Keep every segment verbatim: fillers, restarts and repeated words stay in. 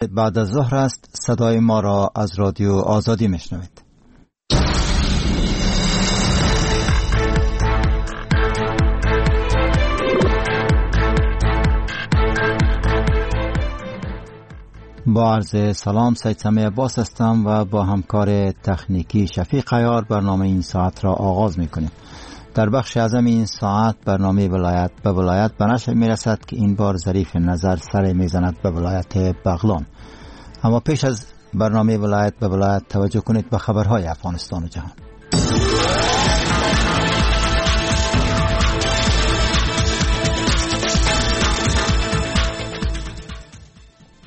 بعد از ظهر است. صدای ما را از رادیو آزادی میشنوید. با عرض سلام، سید سمیع عباس هستم و با همکار تکنیکی شفیق عیار برنامه این ساعت را آغاز میکنیم. در بخش اعظم این ساعت برنامه ولایت به ولایت به نشر میرسد که این بار ظریف نظر سر میزند به ولایت بغلان. اما پیش از برنامه ولایت به ولایت توجه کنید به خبرهای افغانستان و جهان.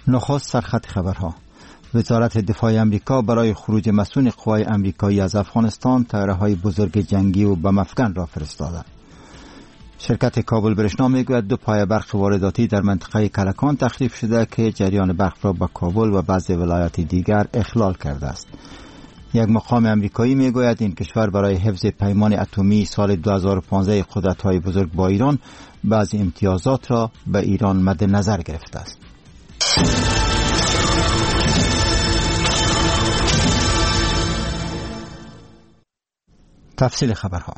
نخست سرخط خبرها. وزارت دفاع امریکا برای خروج مسئول قوای امریکایی از افغانستان طیاره‌های بزرگ جنگی و بم‌افکن را فرستاده. شرکت کابل برشنا میگوید دو پایه برق وارداتی در منطقه کلکان تخریب شده که جریان برق را به کابل و بعض ولایات دیگر اخلال کرده است. یک مقام امریکایی میگوید این کشور برای حفظ پیمان اتمی سال دو هزار و پانزده قدرت‌های بزرگ با ایران بعضی امتیازات را به ایران مد نظر گرفته است. تفصیل خبرها.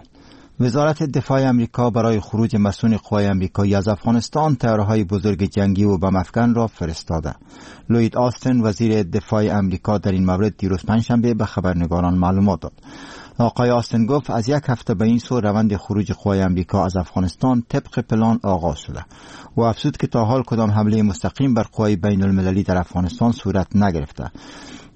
وزارت دفاع امریکا برای خروج مسئول قوای امریکایی از افغانستان طیاره‌های بزرگ جنگی و بم‌افکن را فرستاده. لوید آستن وزیر دفاع امریکا در این مورد دیروز پنجشنبه به خبرنگاران معلومات داد. آقای آستن گفت از یک هفته به این سو روند خروج قوای امریکا از افغانستان طبق پلان آغاز شده و افزود که تا حال کدام حمله مستقیم بر قوای بین المللی در افغانستان صورت نگرفته.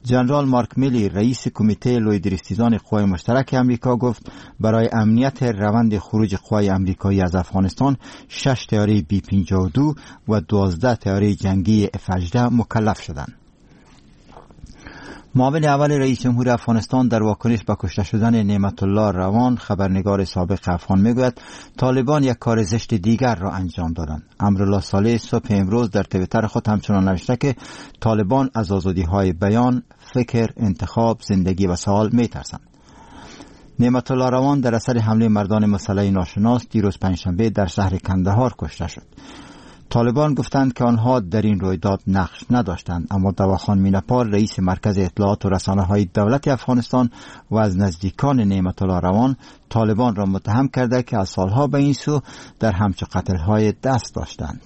جنرال مارک میلی رئیس کمیته لوی درستیزان قوای مشترک امریکا گفت برای امنیت روند خروج قوای امریکایی از افغانستان شش طیاره بی پنجاه و دو و دوازده طیاره جنگی اف هجده مکلف شدند. معاون اول رئیس جمهور افغانستان در واکنش به کشته شدن نعمت الله روان خبرنگار سابق افغان میگوید طالبان یک کار زشت دیگر را انجام دادند. امرالله صالح صبح امروز در توییتر خود همچنان نوشته که طالبان از آزادی های بیان، فکر، انتخاب، زندگی و سوال میترسند. نعمت الله روان در اثر حمله مردان مسلح ناشناس دیروز پنجشنبه در شهر کندهار کشته شد. طالبان گفتند که آنها در این رویداد نقش نداشتند، اما دواخان مینپال رئیس مرکز اطلاعات و رسانه‌های دولت افغانستان و از نزدیکان نعمت الله روان طالبان را متهم کرده که از سالها به این سو در همچو قتل‌های دست داشتند.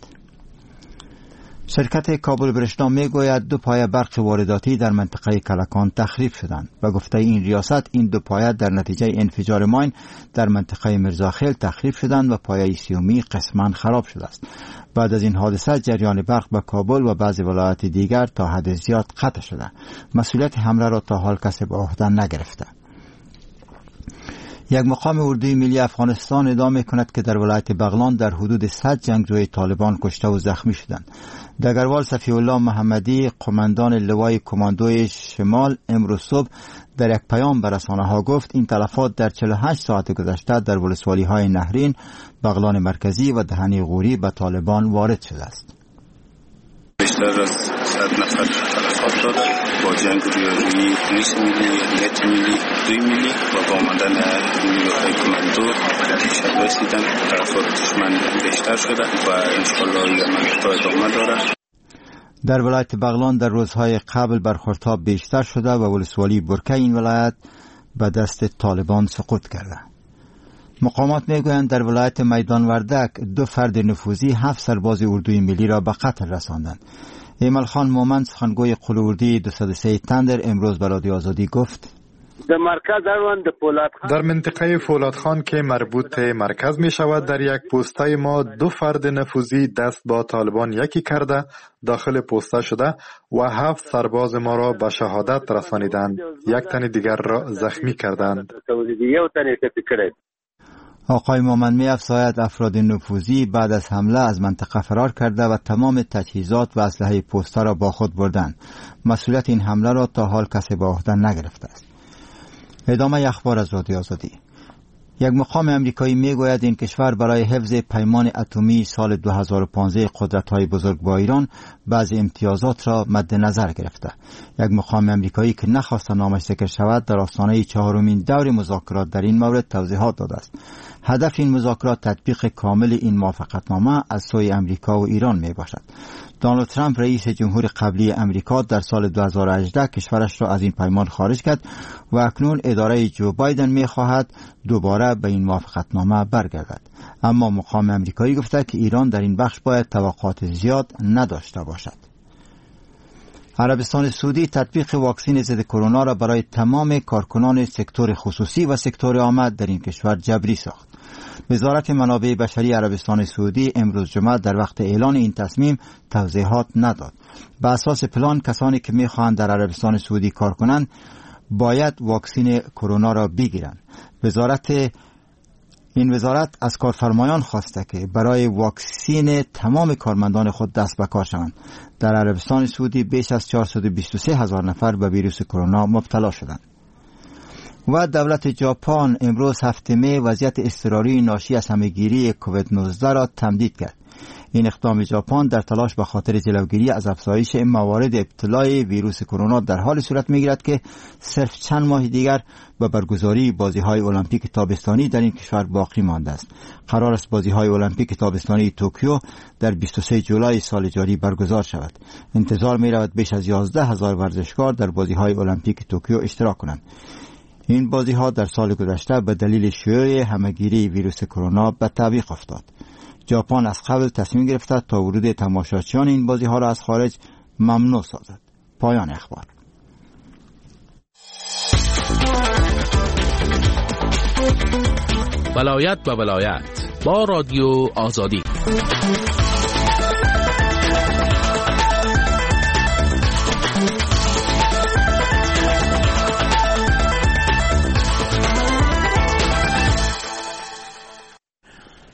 شرکت کابل برشنا میگوید دو پایه برق وارداتی در منطقه کلکان تخریب شدند. به گفته این ریاست این دو پایه در نتیجه انفجار ماین در منطقه میرزاخیل تخریب شدند و پایه سیومی قسما خراب شده است. بعد از این حادثه جریان برق به کابل و بعضی ولایات دیگر تا حد زیاد قطع شده. مسئولیت حمله را تا حال کسی به عهده نگرفته. یک مقام اردوی ملی افغانستان ادعا می‌کند که در ولایت بغلان در حدود صد جنگجوی طالبان کشته و زخمی شدند. دگروال صفی الله محمدی قماندان لوای کماندوی شمال امروز صبح در یک پیام به رسانه‌ها گفت این تلفات در چهل و هشت ساعت گذشته در ولسوالی‌های نهرین، بغلان مرکزی و دهنی غوری به طالبان وارد شده است. بیشتر از صد نفر تلفات داده با جنگ رویارویی پلیس ملی، امنیت ملی، دوی ملی و با آمدن نیروهای کماندو در شب رسیدن. تلفات دشمن بیشتر شده و انشاءالله این عملیات ادامه داره. در ولایت بغلان در روزهای قبل برخوردها بیشتر شده و ولسوالی برکه این ولایت به دست طالبان سقوط کرده. مقامات میگویند در ولایت میدان وردک دو فرد نفوذی هفت سرباز اردوی ملی را به قتل رساندند. ایمل خان مومند سخنگوی قول اردوی دویست و سه تندر امروز به رادیو آزادی گفت در منطقه فولادخان که مربوط مرکز می شود در یک پوسته ما دو فرد نفوذی دست با طالبان یکی کرده داخل پوسته شده و هفت سرباز ما را به شهادت رسانیدند، یک تن دیگر را زخمی کردند. آقای مومند می افزاید افراد نفوذی بعد از حمله از منطقه فرار کرده و تمام تجهیزات و اسلحه پوسته را با خود بردند. مسئولیت این حمله را تا حال کسی به عهده نگرفته است. ادامه اخبار از رادیو آزادی. یک مقام امریکایی میگوید این کشور برای حفظ پیمان اتمی سال دو هزار و پانزده قدرت‌های بزرگ با ایران بعضی امتیازات را مد نظر گرفته. یک مقام امریکایی که نخواست نامش ذکر شود در آستانه چهارمین دور مذاکرات در این مورد توضیحات داده است. هدف این مذاکرات تطبیق کامل این موافقتنامه از سوی امریکا و ایران می باشد. دونالد ترامپ رئیس جمهور قبلی امریکا در سال دو هزار و هجده کشورش را از این پیمان خارج کرد و اکنون اداره جو بایدن می خواهد دوباره به این موافقتنامه برگردد. اما مقام امریکایی گفته که ایران در این بخش باید توقعات زیاد نداشته باشد. عربستان سعودی تطبیق واکسن ضد کرونا را برای تمام کارکنان سکتور خصوصی و سکتور عامه در این کشور جبری ساخت. وزارت منابع بشری عربستان سعودی امروز جمعه در وقت اعلان این تصمیم توضیحات نداد. به اساس پلان کسانی که میخواهند در عربستان سعودی کار کنند باید واکسن کرونا را بگیرند. وزارت این وزارت از کارفرمایان خواسته که برای واکسین تمام کارمندان خود دست به کار شوند. در عربستان سعودی بیش از چهارصد و بیست و سه هزار نفر به ویروس کرونا مبتلا شدند. و دولت ژاپن امروز هفتم می وضعیت اضطراری ناشی از همه‌گیری کووید نوزده را تمدید کرد. این اقدام ژاپن در تلاش به خاطر جلوگیری از افزایش موارد ابتلای ویروس کرونا در حال صورت می‌گیرد که صرف چند ماه دیگر به برگزاری بازی‌های المپیک تابستانی در این کشور باقی مانده است. قرار است بازی‌های المپیک تابستانی توکیو در بیست و سه جولای سال جاری برگزار شود. انتظار می‌رود بیش از یازده هزار ورزشکار در بازی‌های المپیک توکیو اشتراک کنند. این بازی‌ها در سال گذشته به دلیل شیوع همه‌گیری ویروس کرونا به تعویق افتاد. ژاپن از قبل تصمیم گرفته تا ورود تماشاچیان این بازی‌ها را از خارج ممنوع سازد. پایان اخبار. ولایت و ولایت با رادیو آزادی.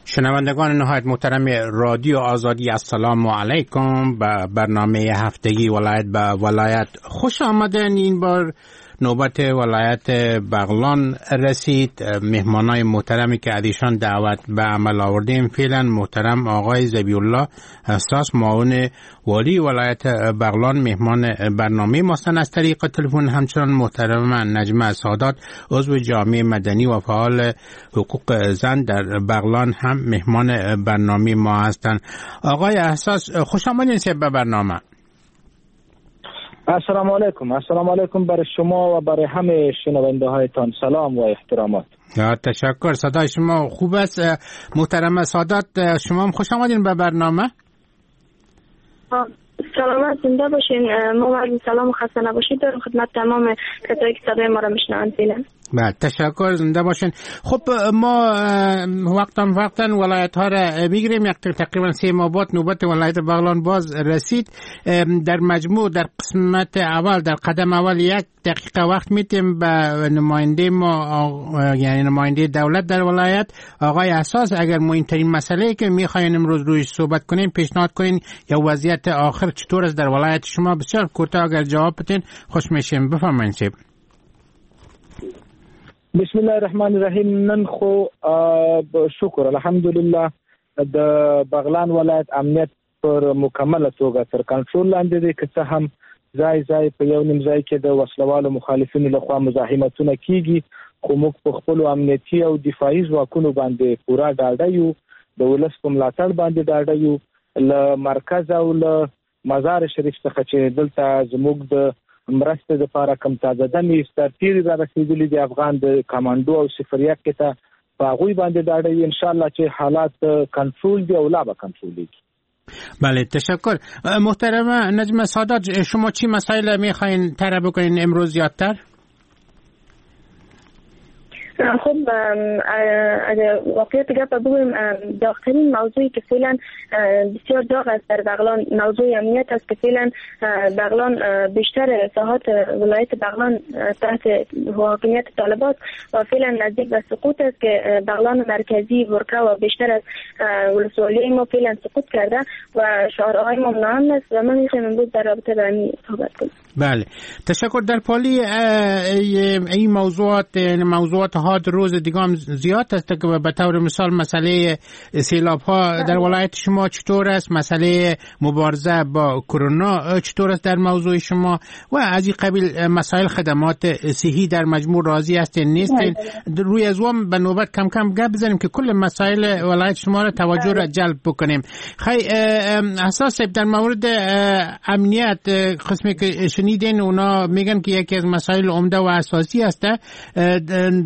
شنوندگان نهایت محترم رادیو آزادی، السلام علیکم. به برنامه هفتگی ولایت به ولایت خوش آمدن. این بار نوبت ولایت بغلان رسید. مهمانای محترمی که از ایشان دعوت به عمل آوردیم فعلا محترم آقای ذبیح الله حساس معاون والی ولایت بغلان مهمان برنامه ماستن از طریق تلفن. همچنان محترم نجمه سادات عضو جامعه مدنی و فعال حقوق زن در بغلان هم مهمان برنامه ما هستند. آقای حساس خوش آمدین به برنامه. السلام علیکم. السلام علیکم برای شما و برای همه شنونده هایتان. سلام و احترامات. تشکر، صدای شما خوب است. محترم سادات شما هم خوش آمدین به برنامه. سلامت زنده باشین. ما عرض سلام و خسته نباشید دارم خدمت تمام کسایی که صدای ما را میشنوند. بله تشکر، زنده باشین. خب ما وقتا وقتا ولایت ها را میگیریم، یک تقریبا سه ماه بعد نوبت ولایت بغلان باز رسید. در مجموع در قسمت اول، در قدم اول یک دقیقه وقت میتیم به نماینده ما، یعنی نماینده دولت در ولایت آقای حساس. اگر مهمترین مسئله که میخواین امروز روی صحبت کنیم پیشنهاد کنین یا وضعیت آخر چطور است در ولایت شما، بسیار کوتاه اگر جواب بدین خوش میشیم. بفرمایید. بسم الله الرحمن الرحیم. نن خو شکر الحمدلله د بغلان ولایت امنیت پر مکمله توګه تر کنټرول لاندې دی. که څه هم ځای ځای په یو نیم ځای کې د وسلوالو مخالفینو لخوا مزاحمتونه کیږي، خو موږ په خپلو امنیتي او دفاعي ځواکونو باندې پوره ډاډه یو، د ولس په ملاتړ باندې ډاډه یو. له مرکز او له مزار شریف څخه چې دلته زموږ د مرستې لپاره کم تازه دمې سرتېري را رسېدلي دي، افغان د کمانډو او صفریه کې ته په هغوی باندې ډاډه یو. انشاءالله چې حالات کنټرول دي او لا به کنټرولېږي. بله تشکر. محترم نجم سادات شما چی مسائل میخواین طرح بکنین امروز زیادتر؟ خب اگر واقعیت گپ بگویم، داغترین موضوعی که فعلا بسیار داغ است در بغلان موضوع امنیت است که فعلا بغلان بیشتر ساحات ولایت بغلان تحت حاکمیت طالبان و فعلا نزدیک به سقوط است که بغلان مرکزی ورکه و بیشتر از ولسوالی ما فعلا سقوط کرده و شهرهای ما ناامن است و من میخوایم امروز در رابطه با این صحبت کنم. بله تشکر. در پالی این موضوعات موضوعات موضوعات روز دیگه هم زیاد است که به طور مثال مسئله سیلاب ها در ولایت شما چطور است، مسئله مبارزه با کرونا چطور است در موضوع شما و از این قبیل مسائل خدمات صحی در مجموع راضی هستین نیستین. روی از وام به نوبت کم کم گپ بزنیم که کل مسائل ولایت شما را توجه را جلب بکنیم. خی اساس در مورد امنیت قسمی که شنیدین اونا میگن که یکی از مسائل عمده و اساسی است.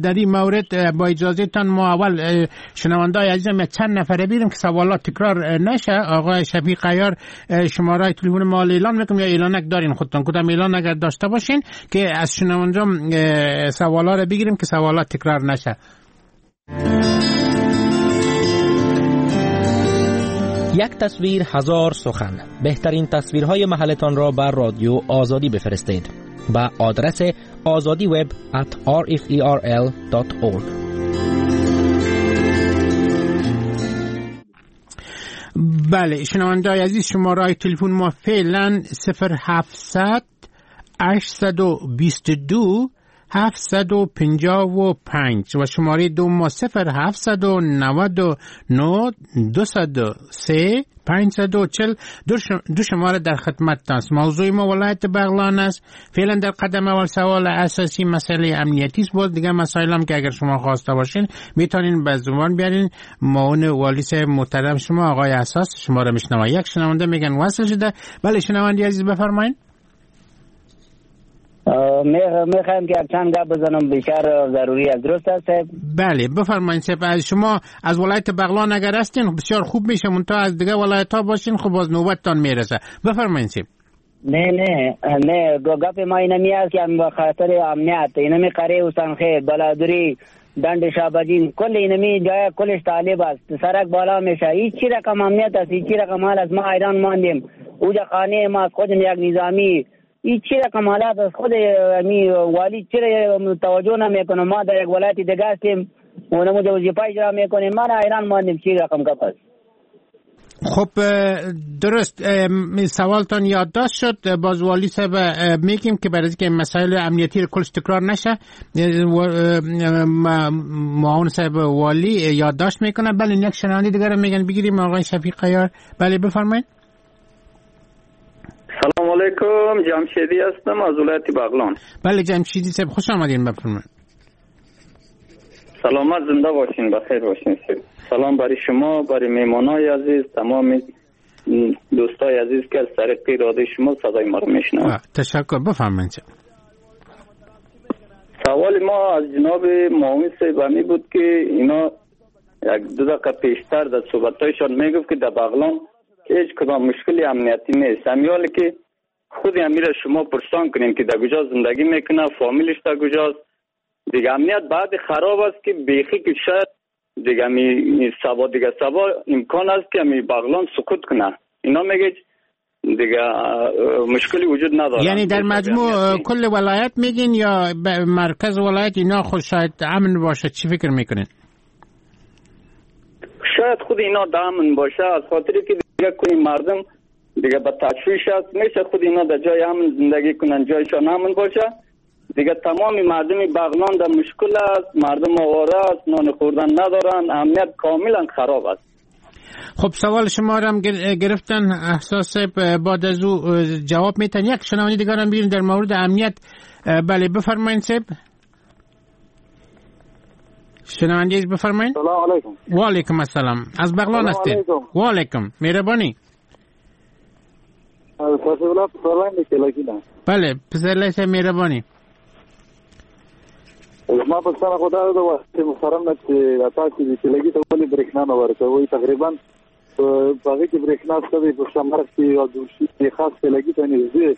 در این مورد با اجازه تان ما اول شنوندای عزیزم چند نفره بیریم که سوالات تکرار نشه. آقای شفیق عیار شماره تلفن ما اعلان میکنم یا اعلانک دارین خودتون، کدام اعلان اگر داشته باشین که از شنوندام سوالا را بگیریم که سوالات تکرار نشه. یک تصویر هزار سخن. بهترین تصویرهای محلتان را بر رادیو آزادی بفرستید به آدرس آزادی وب ات آر اف ای آر ال دات اورگ. بله شنونده‌های عزیز، شماره تلفن ما فعلا صفر هفتصد هشتصد و بیست و دو هفتصد و پنجاه و پنج و شماره دو ما صفر هفتصد و نود و نه دوصد و سه پانصد و چهل. دو شماره در خدمت است. موضوع ما ولایت بغلان است. فعلا در قدم اول سوال اساسی مسئله امنیتی است. باز دیگه مسائل هم که اگر شما خواسته باشین میتونین به زبان بیارین. معاون والی محترم شما آقای اساس شما را میشنوه. یک شنونده میگن وصل شده. بله شنونده عزیز بفرمایین. میخوایم که چند گپ بزنم، بیشتر ضروری است. درست است؟ بله بفرمایید صاحب. شما از ولایت بغلان اگر هستین بسیار خوب میشه، منتها از دیگه ولایت ها باشین خب باز نوبتتان میرسه. بفرمایید صاحب. نه نه نه گپ ما اینمی است که به خاطر امنیت اینمی قریه حسین بلادری دند شابجین کل اینمی جای کلش طالب است، سرک بالا میشه، هیچ رقم امنیت است، هیچ رقم حال است. ما ایران ماندیم، اوجا خانه ما خود یک نظامی این چی رقم حالات از خود می والی چرا توجه نمیکنه؟ ما در یک ولایت دیگه هستیم و نمود وظیفه اجرا میکنیم، ما ایران ماندیم. چی رقم گپ است؟ خب درست سوالتان یادداشت شد. باز والی صاحب میگیم که برای اینکه مسائل امنیتی رو کلش تکرار نشه معاون صاحب والی یادداشت میکنه. بله یک شنونده دیگه رو میگن بگیریم. آقای شفیق عیار بله بفرمایید. سلام علیکم، جمشیدی هستم از ولایت بغلان. بله جمشیدی صاحب خوش آمدین، بفرمایید. سلامت زنده باشین، بخیر باشین. سلام برای شما، برای میهمانای عزیز، تمام دوستای عزیز که از طریق رادیو شما صدای ما رو میشنوند. تشکر، بفرمایید. سوال ما از جناب معاون صاحب همی بود که اینا یک دو دقیقه پیشتر در صحبت‌هایشان میگفت که در بغلان هیچ کدام مشکلی امنیتی نیست. همیالی که خود امیر شما پرسان کنیم که در کجا زندگی میکنه، فامیلش در کجاست. دیگه امنیت بعد خراب است که بیخی که شاید دیگه می سبا دیگه سبا امکان است که می بغلان سقوط کنه. اینا میگه دیگه مشکلی وجود نداره. یعنی در مجموع کل ولایت میگین یا مرکز ولایت اینا خود شاید امن باشه؟ چی فکر میکنین؟ شاید خود اینا در امن باشه، از خاطری که دیگه کنی مردم دیگه به تشویش است، میشه خود اینا در جای امن زندگی کنن، جایشان امن باشه. دیگه تمام مردم بغلان در مشکل است، مردم آواره است، نان خوردن ندارن، امنیت کاملا خراب است. خب سوال شما را هم گرفتن احساس بعد از او جواب میتن. یک شنونده دیگر هم بگیریم در مورد امنیت. بله بفرمایید صاحب. شنونده بفرمایید. سلام علیکم. و علیکم السلام. از بغلان هستید؟ و علیکم، مهربانی. بله پسرلی صاحب مهربانی. ما پوښتنه خو دا ده چې محترم نه چې تاسو د کلګي ته ولې برېښنا نه ورکوئ؟ تقریبا په هغه کې برېښنا شته دی، په شمرخ کې او دوشي کې خاص کلګي ته نږدې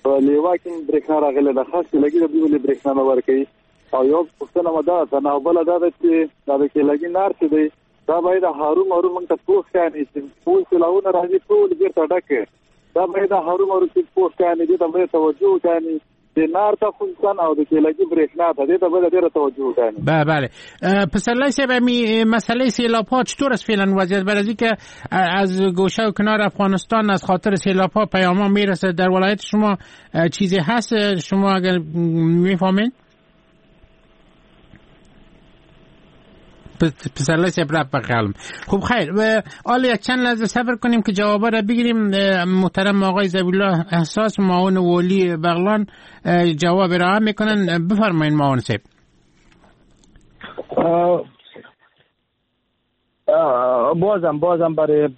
په لیوا کې برېښنا راغلې ده، خاص کلګي ته ولې برېښنا نه ورکوي؟ او یو پوښتنه مو دا ده، نه بله دا ده چې دا د کلګي نار چې دی دا باید هرومرو موږ ته پوه کړي چې ټول سیلاوونه راځي ټول بېرته ډک، دا باید هرومرو چې پوه کړي، دې ته باید توجه وکړي. د نار ته خصوصا او د کلګي برېښنا ته دې ته باید ډېره توجه وکړي. بله بله. پسرلی صاحب می مسئله سیلاب ها چطور است فعلا وضعیت؟ برای که از گوشه و کنار افغانستان از خاطر سیلاب ها پیام ها میرسه، در ولایت شما چیزی هست شما اگر میفهمین؟ پسرلی صاحب رفت به قلم. خب خیر، حالا یک چند لحظه صبر کنیم که جوابا را بگیریم. محترم آقای ذبیح‌الله احساس معاون والی بغلان جواب ارائه میکنن. بفرمایید معاون صاحب. بازم بازم برای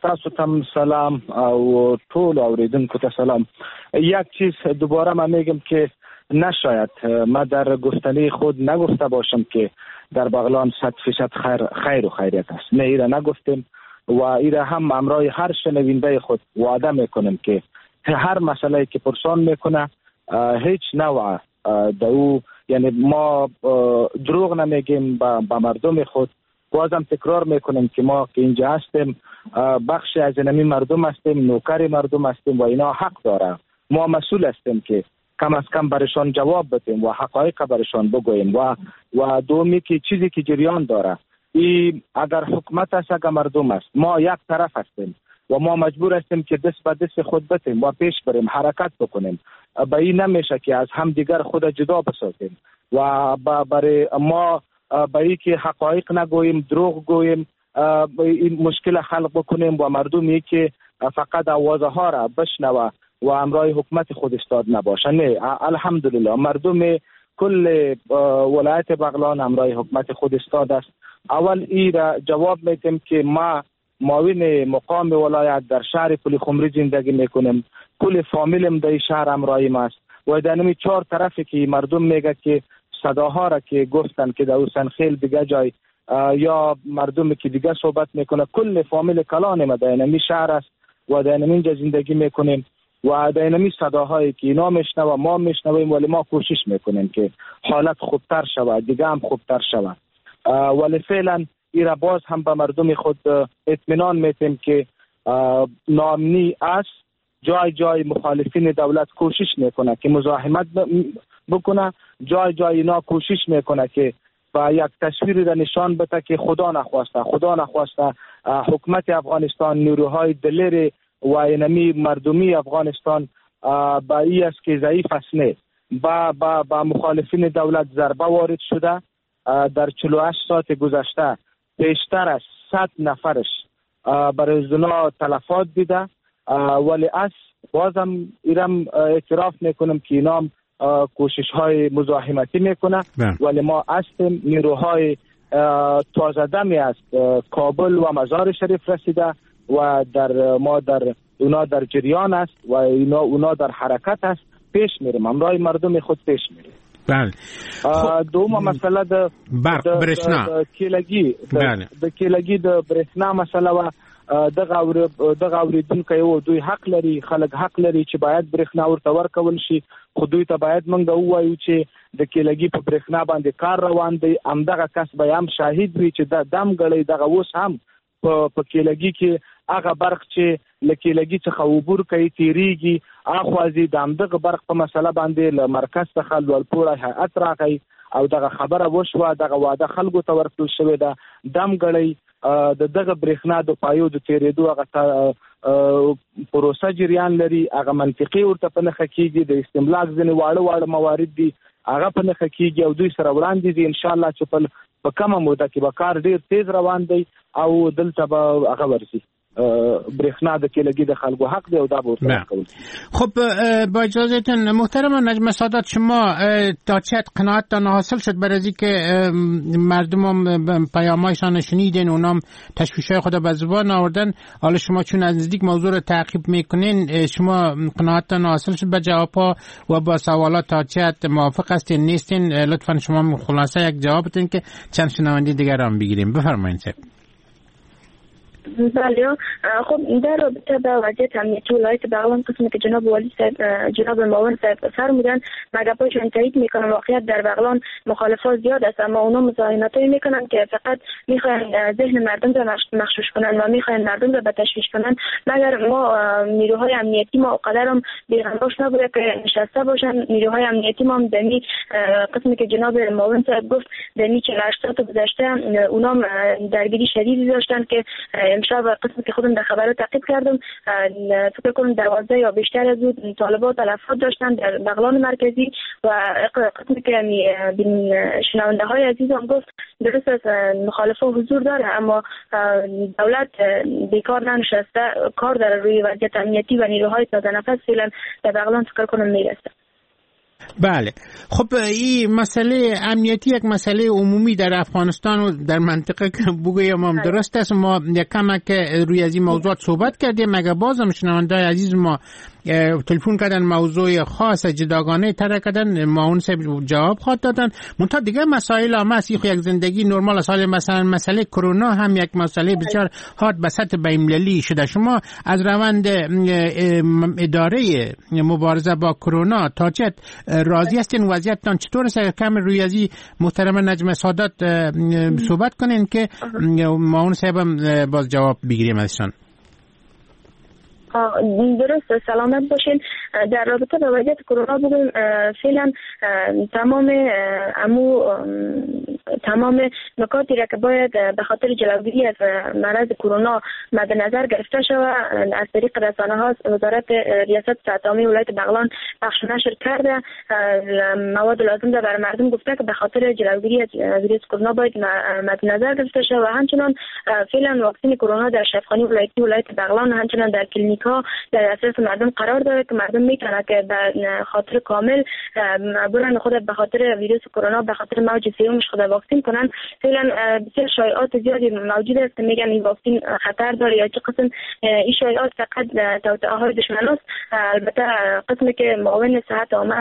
تاسو تم سلام او ټول اوریدونکو ته سلام. یک چیز دوباره من میگم که نشاید ما در گفتنی خود نگفته باشم که در بغلان صد فیصد خیر, خیر و خیریت است. نه، ایره نگفتیم و ایره هم امرای هر شنونده خود وعده میکنیم که هر مسئله که پرسان میکنه هیچ نوع دو، یعنی ما دروغ نمیگیم به مردم خود. بازم تکرار میکنیم که ما که اینجا هستیم بخش از اینمی مردم هستیم، نوکر مردم هستیم و اینا حق داره. ما مسئول هستیم که کم از کم برشان جواب بدیم و حقایق برشان بگوییم. و و دومی که چیزی که جریان داره ای اگر حکومت است اگر مردم است، ما یک طرف هستیم و ما مجبور هستیم که دست به دست خود بدیم و پیش بریم، حرکت بکنیم. به این نمیشه که از هم دیگر خود جدا بسازیم و برای ما به این که حقایق نگوییم، دروغ گوییم، این مشکل خلق بکنیم و مردمی که فقط آوازه ها را بشنوه و امرای حکومت خود استاد نباشه. نه، الحمدلله مردم کل ولایت بغلان امرای حکومت خود استاد است. اول ای را جواب میتیم که ما معاون مقام ولایت در شهر پل خمری زندگی میکنیم، کل فامیلم در شهر امرای ما است و در نمی چهار طرفی که مردم میگه که صداها را که گفتن که در حسنخیل دیگه جای یا مردم که دیگه صحبت میکنه، کل فامیل کلان ما در نمی شهر است و در اینجا زندگی میکنیم و در اینمی صداهایی که اینا میشنوه ما میشنویم، ولی ما کوشش میکنیم که حالت خوبتر شود، دیگه هم خوبتر شود. ولی فعلا ایرا باز هم به مردم خود اطمینان میتیم که ناامنی است. جای جای مخالفین دولت کوشش میکنه که مزاحمت بکنه، جای جای اینا کوشش میکنه که با یک تصویری را نشان بده که خدا نخواسته، خدا نخواسته حکومت افغانستان، نیروهای دلیر و اینمی مردمی افغانستان با ای است که ضعیف است. نه، با با با مخالفین دولت ضربه وارد شده. در چهل و هشت ساعت گذشته بیشتر از صد نفرش برای زنا تلفات دیده، ولی از بازم ایرم اعتراف میکنم که اینام کوشش های مزاحمتی میکنه، ولی ما هستیم. نیروهای تازه دمی از کابل و مزار شریف رسیده و در ما در اونا در جریان است و اینا اونا در حرکت است. پیش میریم، همراه مردم خود پیش میریم. بله. دومه مسئله د برق برښنا کیلګي، د کیلګي د برښنا مسئله و دغه دغه اوریدونکی و دوی حق لري، خلک حق لري چې باید برښنا ورته ورکول شي، خو دوی ته باید موږ ووایو چې د کیلګي په برښنا باندې کار روان دی. همدغه کس به هم شاهد وي چې دا دم ګړی دغه اوس هم په په کیلګي کې هغه برق چې له کیلګي څخه عبور کوي تیریږي، اخوا ځي. د همدغه برق په مسله باندې له مرکز څخه لوړپوړی هیئت راغی او دغه خبره وشوه، دغه وعده خلکو ته ورکړل شوې ده. دم ګړی د دغه برښنا د پایو د تیرېدو هغه پروسه جریان لري، هغه منطقي ورته په نښه کیږي. د استملاک ځینې واړه واړه موارد دي، هغه په نښه کیږي او دوی سره وړاندې دي. ان شاء الله چې په په کمه موده کې به کار ډیر تیز روان دی او دلته به هغه ورځي برښنا د کیلګي د خلکو حق دی او دا به ورته ورکول. خب با اجازهتون محترم نجم سادات، شما تا چه قناعتتان حاصل شد برای از که مردم هم پیامایشان شنیدین، اونام تشویش‌های خود به زبان آوردن، حالا شما چون از نزدیک موضوع رو تعقیب میکنین، شما قناعتتان حاصل شد به جوابها و با سوالات تا چه موافق هستین نیستین؟ لطفا شما خلاصه یک جواب بدین که چند شنونده دیگر هم بگیریم. بفرمایید. بله، خب در رابطه با وضعیت امنیتی ولایت بغلان قسمی که جناب والی صاحب، جناب معاون صاحب فرمودن، من گپایشان تایید میکنم. واقعیت در بغلان مخالفات زیاد است، اما اونا مزاحمتایی میکنن که فقط میخواین ذهن مردم را مغشوش کنن و میخواین مردم را به تشویش کنن. مگر ما نیروهای امنیتی ما قدرم بیغمباش نبوده که نشسته باشن. نیروهای امنیتی ما هم دمی قسمی که جناب معاون صاحب گفت، دمی چهل و هشت ساعت گذشته اونا درگیری شدیدی داشتن که امشب قسمی که خودم در خبرها تعقیب کردم فکر کنم دوازده یا بیشتر از او طالبان تلفات داشتن در بغلان مرکزی و قسمی که شنونده های عزیزم گفت درست است مخالفه حضور داره، اما دولت بیکار ننشسته، کار داره روی وضعیت امنیتی و نیروهای تازه نفس فعلا در بغلان فکر کنم میرسه. بله، خب این مسئله امنیتی یک مسئله عمومی در افغانستان و در منطقه که بگویم هم درست است. ما یک کمک روی از این موضوعات صحبت کردیم، مگر بازم شنونده‌های عزیز ما تلفن کردن موضوع خاص جداگانه طرح کردن، ما اون صاحب جواب خواد دادن. منتها دیگه مسائل هم هست، یک زندگی نرمال است. مثلا مسئله کرونا هم یک مسئله بسیار حاد به سطح بین‌المللی شده. شما از روند اداره مبارزه با کرونا تا چه راضی هستین؟ وضعیتتان چطور است؟ اگر کم روی از این محترم نجم سادات صحبت کنین که ما اون صاحب باز جواب بگیریم ازشان. درست، سلامت باشین. در رابطه با وضعیت کرونا بگویم فعلا تمام امو تمام نکاتی را که باید به خاطر جلوگیری از مرض کرونا مد نظر گرفته شود از طریق رسانه ها وزارت ریاست صحت عامه ولایت بغلان پخش نشر کرده، مواد لازم را برای مردم گفته که به خاطر جلوگیری از ویروس کرونا باید مد نظر گرفته شود و همچنان فعلا واکسن کرونا در شفاخانه ولایتی ولایت بغلان همچنان در کلینیک ها در دسترس مردم قرار داره که مردم میتونه که به خاطر کامل برن خود به خاطر ویروس کرونا به خاطر موج سومش خود واکسن کنن. فعلا بسیار شایعات زیادی موجود است که میگن این واکسن خطر داره یا چه قسم، این شایعات فقط توطئه های دشمن است. البته قسمی که معاون صحت عامه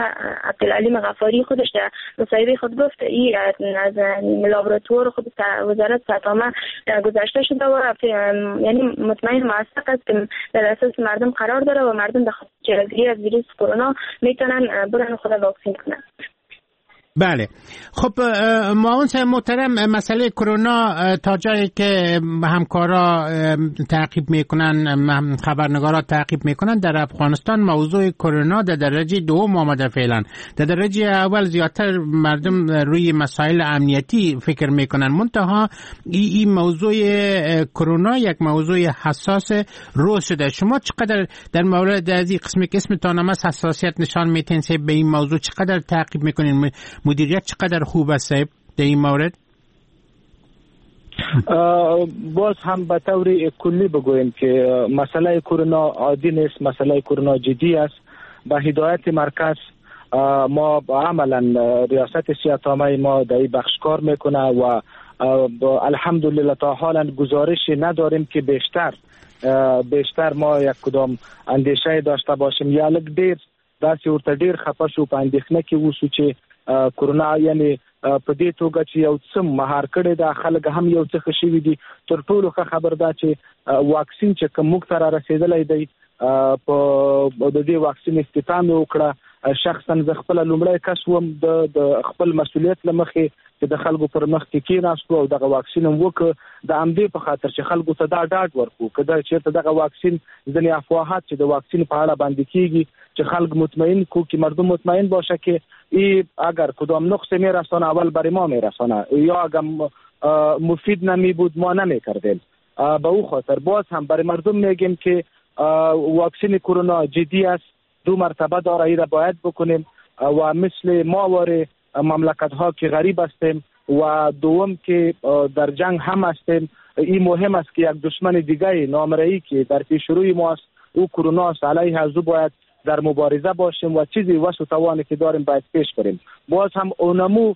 عبدالعلیم غفاری خودش در مصاحبه خود گفت این از لابراتوار خود وزارت صحت عامه گذشته شده و یعنی مطمئن موثق است که در اساس مردم قرار داره و مردم به خاطر جلوگیری از ویروس کرونا میتونن برن خود واکسن کنن. بله، خب معاون صاحب محترم، مسئله کرونا تا جایی که همکارا تعقیب میکنن، خبرنگارا تعقیب میکنن، در افغانستان موضوع کرونا در درجه دوم آمده. فعلا در درجه اول زیادتر مردم روی مسائل امنیتی فکر میکنن، منتها این موضوع کرونا یک موضوع حساس روز شده. شما چقدر در مورد از این قسم که اسمتان هم حساسیت نشان میتین به این موضوع، چقدر تعقیب میکنین؟ مدیریت چقدر خوب است در این مورد؟ باز هم به طور کلی بگوییم که مسئله کرونا عادی نیست، مسئله کرونا جدی است. به هدایت مرکز ما عملا ریاست صحت عامه ما در این بخش کار میکنه و الحمدلله تا حالا گزارش نداریم که بیشتر بیشتر ما یک کدام اندیشه داشته باشیم یا لږ ډیر داسې ورته ډیر خفه شو په اندېښنه کې اوسو چې کرونا یعنی په دې توګه چې یو څه مهار کړی دا، خلک هم یو څه ښه شوي دي. تر ټولو ښه خبر دا چې واکسین چې کوم موږ ته را رسېدلی دی، په د دې واکسین افتتاح مې وکړه. شخصا زه خپله لومړی کس وم د د خپل مسؤلیت له مخې چې د خلکو پر مخ کې کېناستو او دغه واکسین هم وکړ، د همدې په خاطر چې خلکو ته دا ډاډ ورکړو که دا چېرته دغه واکسین ځینې افواهات چې د واکسین په اړه باندې کېږي چې خلک مطمئن کو که مردم مطمئن باشه که ای اگر کدام نقص میرسانه اول برای ما میرسانه یا اگر مفید نمی بود ما نمیکردیم. به او خاطر باز هم برای مردم میگیم که واکسین کرونا جدی است، دو مرتبه داره، ای را باید بکنیم و مثل ما واره مملکت ها که غریب هستیم و دوم که در جنگ هم هستیم، این مهم است که یک دشمن دیگه نامرئی که در پیش روی ما است او کرونا است، علیه از او باید در مبارزه باشیم و چیزی وس و توانی که داریم باید پیش بریم. باز هم اونمو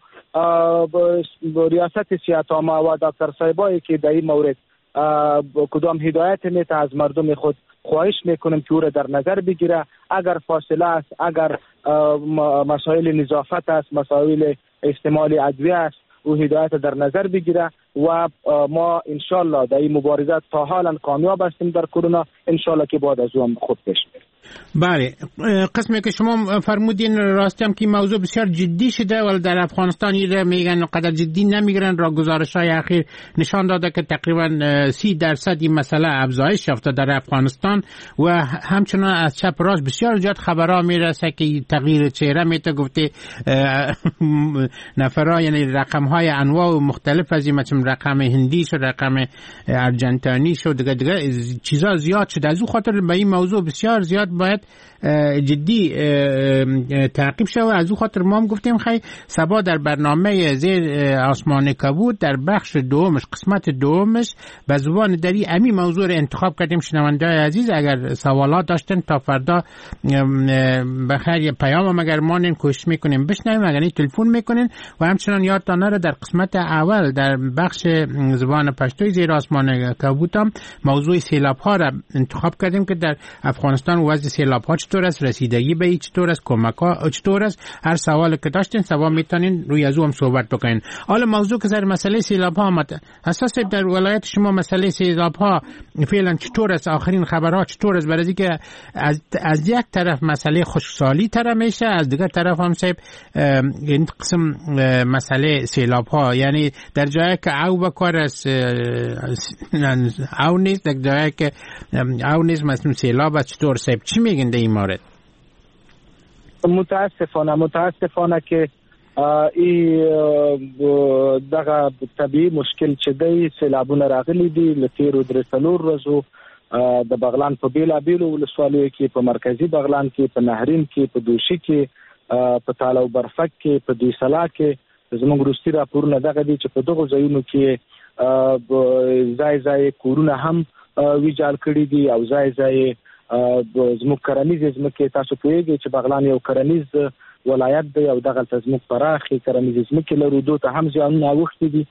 ریاست صحت عامه و دکتر صاحبایی که در این مورد کدام هدایت میته از مردم خود خواهش میکنم که او را در نظر بگیره. اگر فاصله است، اگر مسائل نظافت است، مسائل استعمال ادویه است، او هدایت در نظر بگیره و ما انشالله در این مبارزه تا حالا کامیاب هستیم در کرونا، انشالله که بعد از او هم خوب پیش میریم. بله، قسمی که شما فرمودین راستی هم که موضوع بسیار جدی شده، ولی در افغانستان ایره میگن قدر جدی نمیگیرن. را گزارش های اخیر نشان داده که تقریبا سی درصد این مسئله افزایش یافته در افغانستان و همچنان از چپ راست بسیار زیاد خبرها میرسه که تغییر چهره میته، گفته نفرها، یعنی رقم های انواع مختلف از این، مثلا رقم هندی شد، رقم ارجنتانی شد، دیگه دیگه چیزا زیاد شده. از او خاطر به این موضوع بسیار زیاد باید جدی تعقیب شود. از او خاطر ما هم گفتیم خیلی سبا در برنامه زیر آسمان کبود در بخش دومش، قسمت دومش به زبان دری امی موضوع رو انتخاب کردیم. شنونده‌های عزیز اگر سوالات داشتن تا فردا بخیر پیام هم اگر مانین کوشش میکنیم بشنویم، اگر تلفن میکنین. و همچنان یادتان نره در قسمت اول در بخش زبان پشتوی زیر آسمان کبود هم موضوع سیلاب ها را انتخاب کردیم که در افغانستان وضع سیلاب ها چطور است، رسیدگی به چطور است، کمک ها چطور است. هر سوال که داشتین سوا میتونین روی از او هم صحبت بکنین. حالا موضوع که سر مسئله سیلاب ها آمد، اساس در ولایت شما مسئله سیلاب ها فعلا چطور است، آخرین خبرها چطور است؟ برای اینکه از از یک طرف مسئله خشکسالی تر میشه، از دیگر طرف هم صاحب این قسم مسئله سیلاب ها، یعنی در جایی که او بکار است او نیست، در جایی که او نیست مثلا سیلاب است. چطور صاحب چی میگن در این مورد؟ متاسفانه متاسفانه که ای دغه طبیعي مشکل چې دی سیلابونه راغلي دي له تیرو درې څلور ورځو د بغلان په بیلابیلو ولسوالیو کې، په مرکزي بغلان کې، په نهرین کې، په دوشي کې، په تاله او برفک کې، په دویسلا کې. زموږ وروستي راپورونه دغه دي چې په دغو ځایونو کې ځای ځای کورونه هم ویجاړ کړي دي او ځای ځای زموږ کرنیزې ځمکې. تاسو پوهېږئ چې بغلان یو کرنیز ولایت دی او دغلته زموږ پراخې کرنیزې ځمکې لرو، دوی ته هم زیانونه اوښتي دي.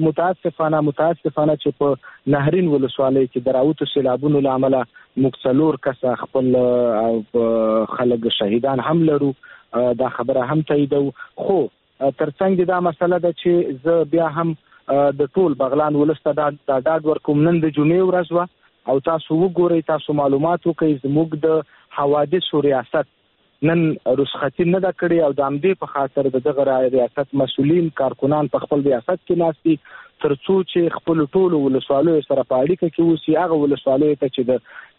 متاسفانه متاسفانه چې په نهرین ولسوالۍ کې د راوتو سیلابونو له امله موږ څلور کسه خپل خلک شهیدان هم لرو، دا خبره هم تاییدوو. خو ترڅنګ دا مسله ده چې زه بیا هم د ټول بغلان ولس ته دا ډاډ ورکوم، نن د جمعې ورځ وه او تاسو وګورئ، تاسو معلومات وکړئ، زموږ د حوادثو ریاست نن رخصتي نه ده کړې او د همدې په خاطر د دغه ریاست مسؤلین کارکنان په خپل ریاست کې ناست دي تر څو چې خپلو ټولو ولسوالیو سره په اړیکه کې اوسي، هغه ولسوالیو ته چې د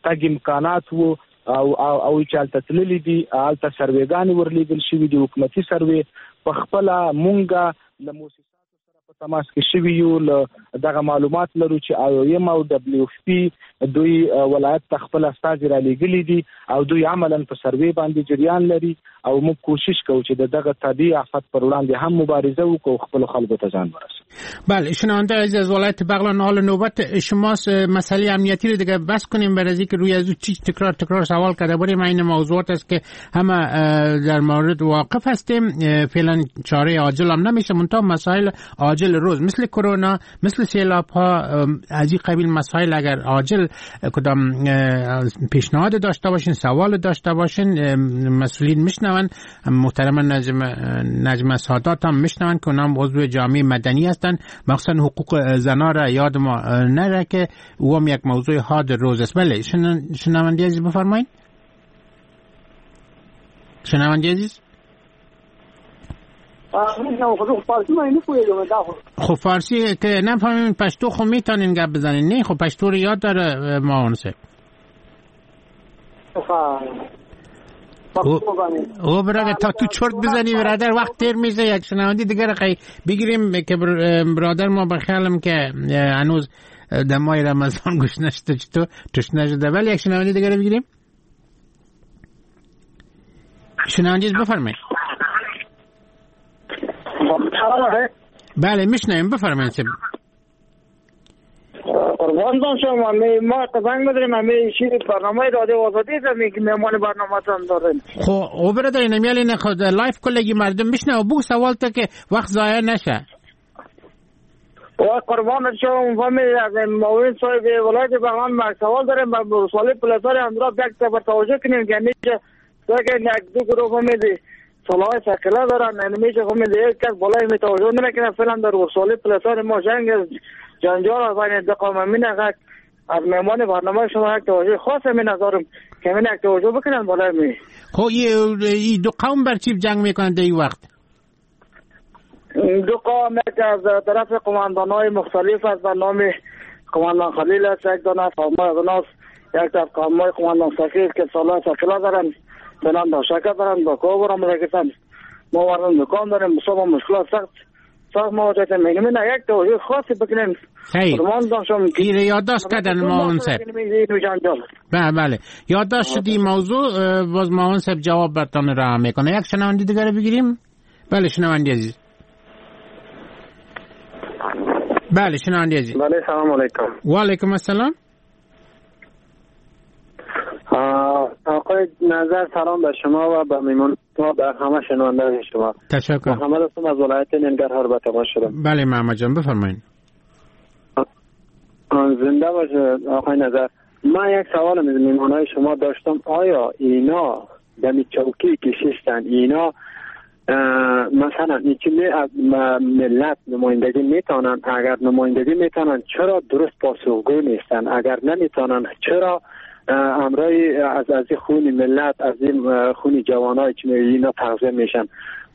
تګ امکانات وو او او او چې هلته تللي دي، هلته سروېګانې ورلېږل شوي دي، حکومتي سروې. په خپله مونږه له موسساتو سره په تماس کې شوي یو، له دغه معلومات لرو چې آی او ایم او ډبلیو اف پي دوی ولایت ته خپل استازي رالیږلي دي او دوی عملاً په سروې باندې جریان لري او موږ کوشش کوو چې د دغه طبیعي آفت پر وړاندې هم مبارزه وکړو او خپلو خلکو ته ځان ورسوو. بله، شنونده عزیز از ولایت بغلان، حال نوبت شماست. مسئله امنیتی رو دیگه بس کنیم برای اینکه روی از چیز تکرار تکرار سوال کرده بودیم. این موضوعات است که همه در مورد واقف هستیم. فعلا چاره عاجل هم نمیشه، منتها مسائل عاجل روز مثل کرونا، مثل سیلاب ها، از این قبیل مسائل اگر عاجل کدام پیشنهاد داشته باشین، سوال داشته باشین، مسئولین میشنون، محترم نجم نجم سادات هم میشنون که اونم عضو جامعه مدنی هستن، مخصوصا حقوق زنا را یاد ما نره که او هم یک موضوع حاد روز است. بله، شنونده عزیز بفرمایید. شنونده عزیز، خب فارسی که نفهمیم، پشتو خب میتونین گپ بزنین؟ نه خب پشتو رو یاد داره ما صاحب. او برادر تا تو چرت بزنی برادر وقت تیر میشه. یک شنونده دیگر خیلی بگیریم که برادر ما به خیالم که هنوز در ماه رمضان گوش نشده، چطور تشنه شده. ولی یک شنونده دیگر بگیریم. شنونده بفرمایید. بله میشنویم، بفرمایید. قربان شما، ما زنگ می‌زنیم همه شیر برنامه رادیو آزادی زمین که مهمان برنامه تان داریم. خب او برادر نمیالی نه خود live کلگی مردم میشنه و بگو سوال تا که وقت ضایع نشه. و قربان شما، فهمی از معاون صاحب ولایت بغلان ما سوال داریم با سوال پلاسار اندراب یک بر توجه کنیم که میشه که یک دو گروه فهمیدی سلاح ثقیله دارن، یعنی میشه فهمیدی یک کس بالای می توجه نکنه. فعلا در سوال پلاسار ما جنگ جنجال بین دو قوم امین از مهمان برنامه شما یک توجه خاص می نظرم که من یک توجه بکنن بالای می. خب این دو قوم بر چی جنگ میکنن در این وقت؟ دو قوم یک از طرف قماندان های مختلف است به نام قماندان خلیل است، یک دانه از قوم های یک طرف قوم های قماندان سخیل که سالها سکلا دارن فلان داشکه دارن با کو برام رگتن ما وارد دکان داریم بسیار مشکلات سخت سخت مواجه میگیم. نه یک توجه خاصی بکنیم. خیر این یادداشت کردن معاون صاحب. بله بله یادداشت شد این موضوع. باز معاون صاحب جواب برتان راه میکنه. یک شنونده دیگر بگیریم. بله شنونده عزیز. بله شنونده عزیز. بله سلام علیکم. و علیکم السلام. آقای نظر سلام به شما و به میمون و به همه شنوندگان شما. تشکر. محمد هستم از ولایت ننگرهار به تماس شدم. بله محمد جان بفرمایید. زنده باشه آقای نظر. من یک سوال از میمونای شما داشتم. آیا اینا دمی چوکی که ششتن اینا مثلا اینکه از ملت نمایندگی میتونن، اگر نمایندگی میتونن چرا درست پاسخگو نیستن؟ اگر نمیتونن چرا امرای از از خون ملت، از این خون جوانای که اینا تغذیه میشن؟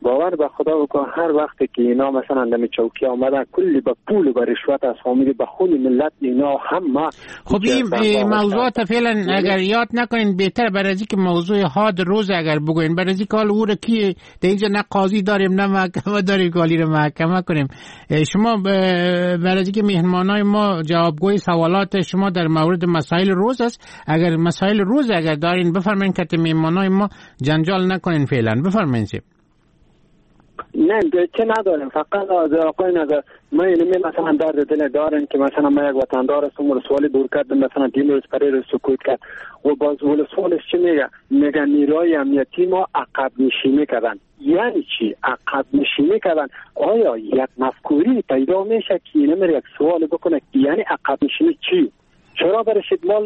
باور به خدا بکن هر وقت که اینا مثلا دم چوکی آمدن کلی با پول و با رشوت از فامیل با خون ملت اینا همه. خب این موضوعات فعلا اگر یاد نکنین بهتر، برای از که موضوع حاد روز اگر بگوین، برای از که حال او رو کی در اینجا نه قاضی داریم نه محکمه داریم که حالی رو محکمه کنیم. شما برای از که مهمانای ما جوابگوی سوالات شما در مورد مسائل روز است، اگر مسائل روز اگر دارین بفرمایین که مهمانای ما جنجال نکنین فعلا. بفرمایین. نه چه نداریم، فقط از آقای نظر ما اینمی مثلا درد دل دارن که مثلا ما یک وطندار هستم ولسوالی دور کردم مثلا دین روز پری رو سکوت کرد و باز ولسوالش چی میگه؟ میگه نیروی امنیتی ما عقب نشینی کردن. یعنی چی عقب نشینی کردن؟ آیا یک مفکوری پیدا میشه که اینم یک سوال بکنه یعنی عقب نشینی چی؟ چرا برش ادمال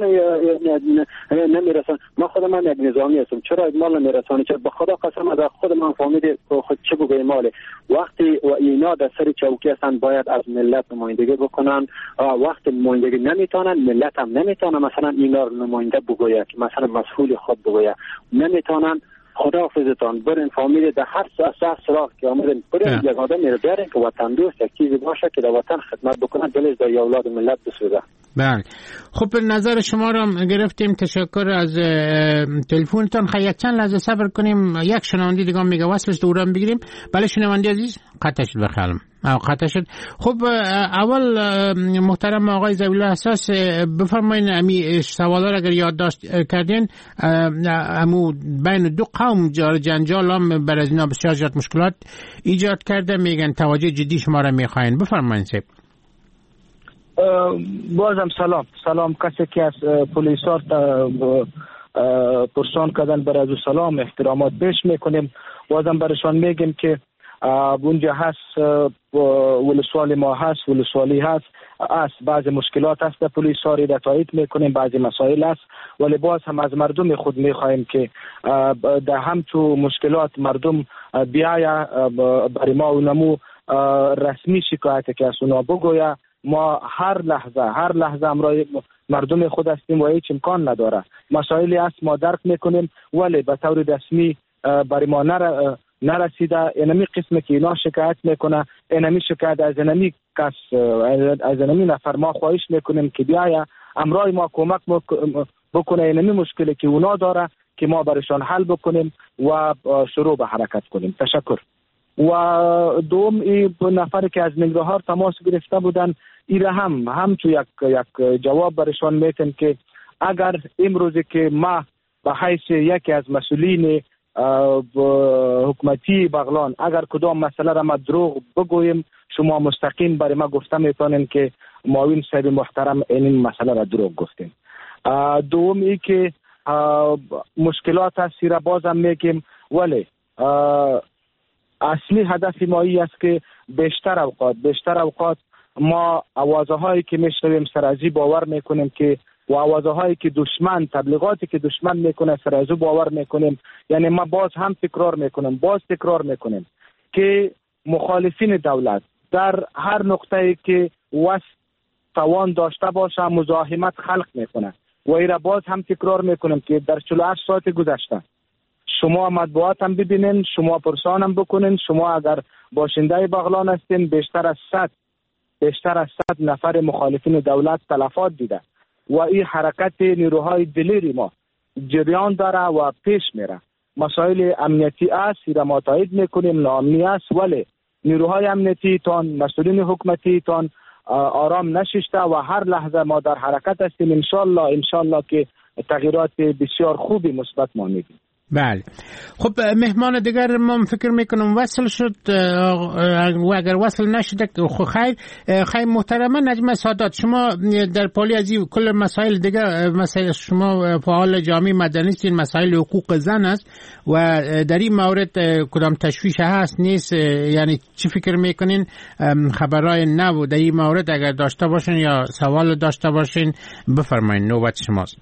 نمیرسن؟ ما خودم هم یک نظامی هستم، چرا ادمال نمیرسن؟ چرا به خدا قسم از خود من فهمید خود چه بگویم ماله. وقتی و اینا در سر چوکی هستن باید از ملت نمایندگی بکنن. وقتی نمایندگی نمیتونن ملت هم نمیتونه مثلا اینا رو نماینده بگوید که مثلا مسئول خود بگوید نمیتونن. خداحافظتان برین فامیل در هر سه سراغ که آمدن برین یک آدم میره بیارین که وطن دوست یک چیزی باشه که در وطن خدمت بکنه، دلش در اولاد ملت بسوزه. بله خب نظر شما رو گرفتیم، تشکر از تلفنتان. خیلی یک چند لحظه صبر کنیم، یک شنونده دیگه میگه وصلش دوران بگیریم. بله شنونده عزیز قطع شد بخیالم قطع شد. خب اول محترم آقای ذبیح حساس بفرمایین امی سوالا را اگر یادداشت کردین، امو بین دو قوم جنجال هم بر از اینا بسیار زیاد مشکلات ایجاد کرده، میگن توجه جدی شما را میخواین. بفرمایین سیب. بازم سلام سلام کسی که از پلیسار پرسان کردن بر از سلام احترامات پیش میکنیم. بازم برشان میگیم که اونجا هست ولسوالی ما هست، ولسوالی هست است، بعض مشکلات هست در پلیساری در تایید میکنیم، بعضی مسائل است، ولی باز هم از مردم خود میخواهیم که در هم تو مشکلات مردم بیاید برای ما و نمو رسمی شکایت که از اونا بگویه. ما هر لحظه هر لحظه امرای مردم خود هستیم و هیچ امکان نداره. مسائلی است ما درک میکنیم ولی به طور رسمی برای ما نر... نرسیده. اینمی قسم که اینا شکایت میکنه، اینمی شکایت از اینمی کس از اینمی نفر ما خواهش میکنیم که بیایه امرای ما کمک بکنه، اینمی مشکلی که اونا داره که ما برشان حل بکنیم و شروع به حرکت کنیم. تشکر. و دوم ای نفر که از ننگرهار تماس گرفته بودن، ایره هم هم تو یک یک جواب برشان میتن که اگر امروزی که ما به حیث یکی از مسئولین حکومتی بغلان اگر کدام مسئله را ما دروغ بگوییم، شما مستقیم برای ما گفته میتونین که معاون صاحب محترم این مسئله را دروغ گفتیم. دوم ای که مشکلات هست را بازم میگیم، ولی اصلی هدف ما ای است که بیشتر اوقات بیشتر اوقات ما آوازه هایی که میشنویم سر از باور میکنیم که و آوازه هایی که دشمن تبلیغاتی که دشمن میکنه سر از باور میکنیم. یعنی ما باز هم تکرار میکنیم باز تکرار میکنیم که مخالفین دولت در هر نقطه‌ای که وس توان داشته باشه مزاحمت خلق میکنه. و ای را باز هم تکرار میکنم که در چهل و هشت ساعت گذشته شما مطبوعات هم ببینین، شما پرسان هم بکنین، شما اگر باشنده بغلان هستین بیشتر از صد بیشتر از صد نفر مخالفین دولت تلفات دیده و این حرکت نیروهای دلیری ما جریان داره و پیش میره. مسائل امنیتی است، را ما تایید میکنیم، ناامنی است، ولی نیروهای امنیتی تان، مسئولین حکومتی تان آرام نششته و هر لحظه ما در حرکت هستیم. انشالله انشالله که تغییرات بسیار خوبی مثبت ما میبینیم. بله، خب مهمان دیگر ما فکر میکنم وصل شد و اگر وصل نشده خب خیر. خیر محترمه نجمه سادات، شما در پالی از این کل مسائل دیگه، مسائل شما فعال جامعه مدنی هستین، مسائل حقوق زن است و در این مورد کدام تشویش هست نیست؟ یعنی چی فکر میکنین؟ خبرهای نو در این مورد اگر داشته باشین یا سوال داشته باشین بفرمایین، نوبت شماست.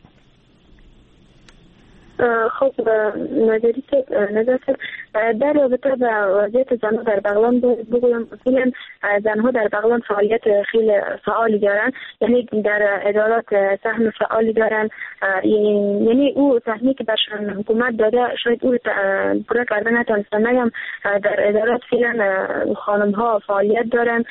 خب نظری نظر در رابطه با وضعیت زنها در بغلان بگویم، فعلا زنها در بغلان فعالیت خیلی فعالی دارن، یعنی در ادارات سهم فعالی دارن، یعنی او سهمی که برشان حکومت داده شاید او پورا کرده نتونستن. نگم در ادارات فعلا خانم ها فعالیت دارن،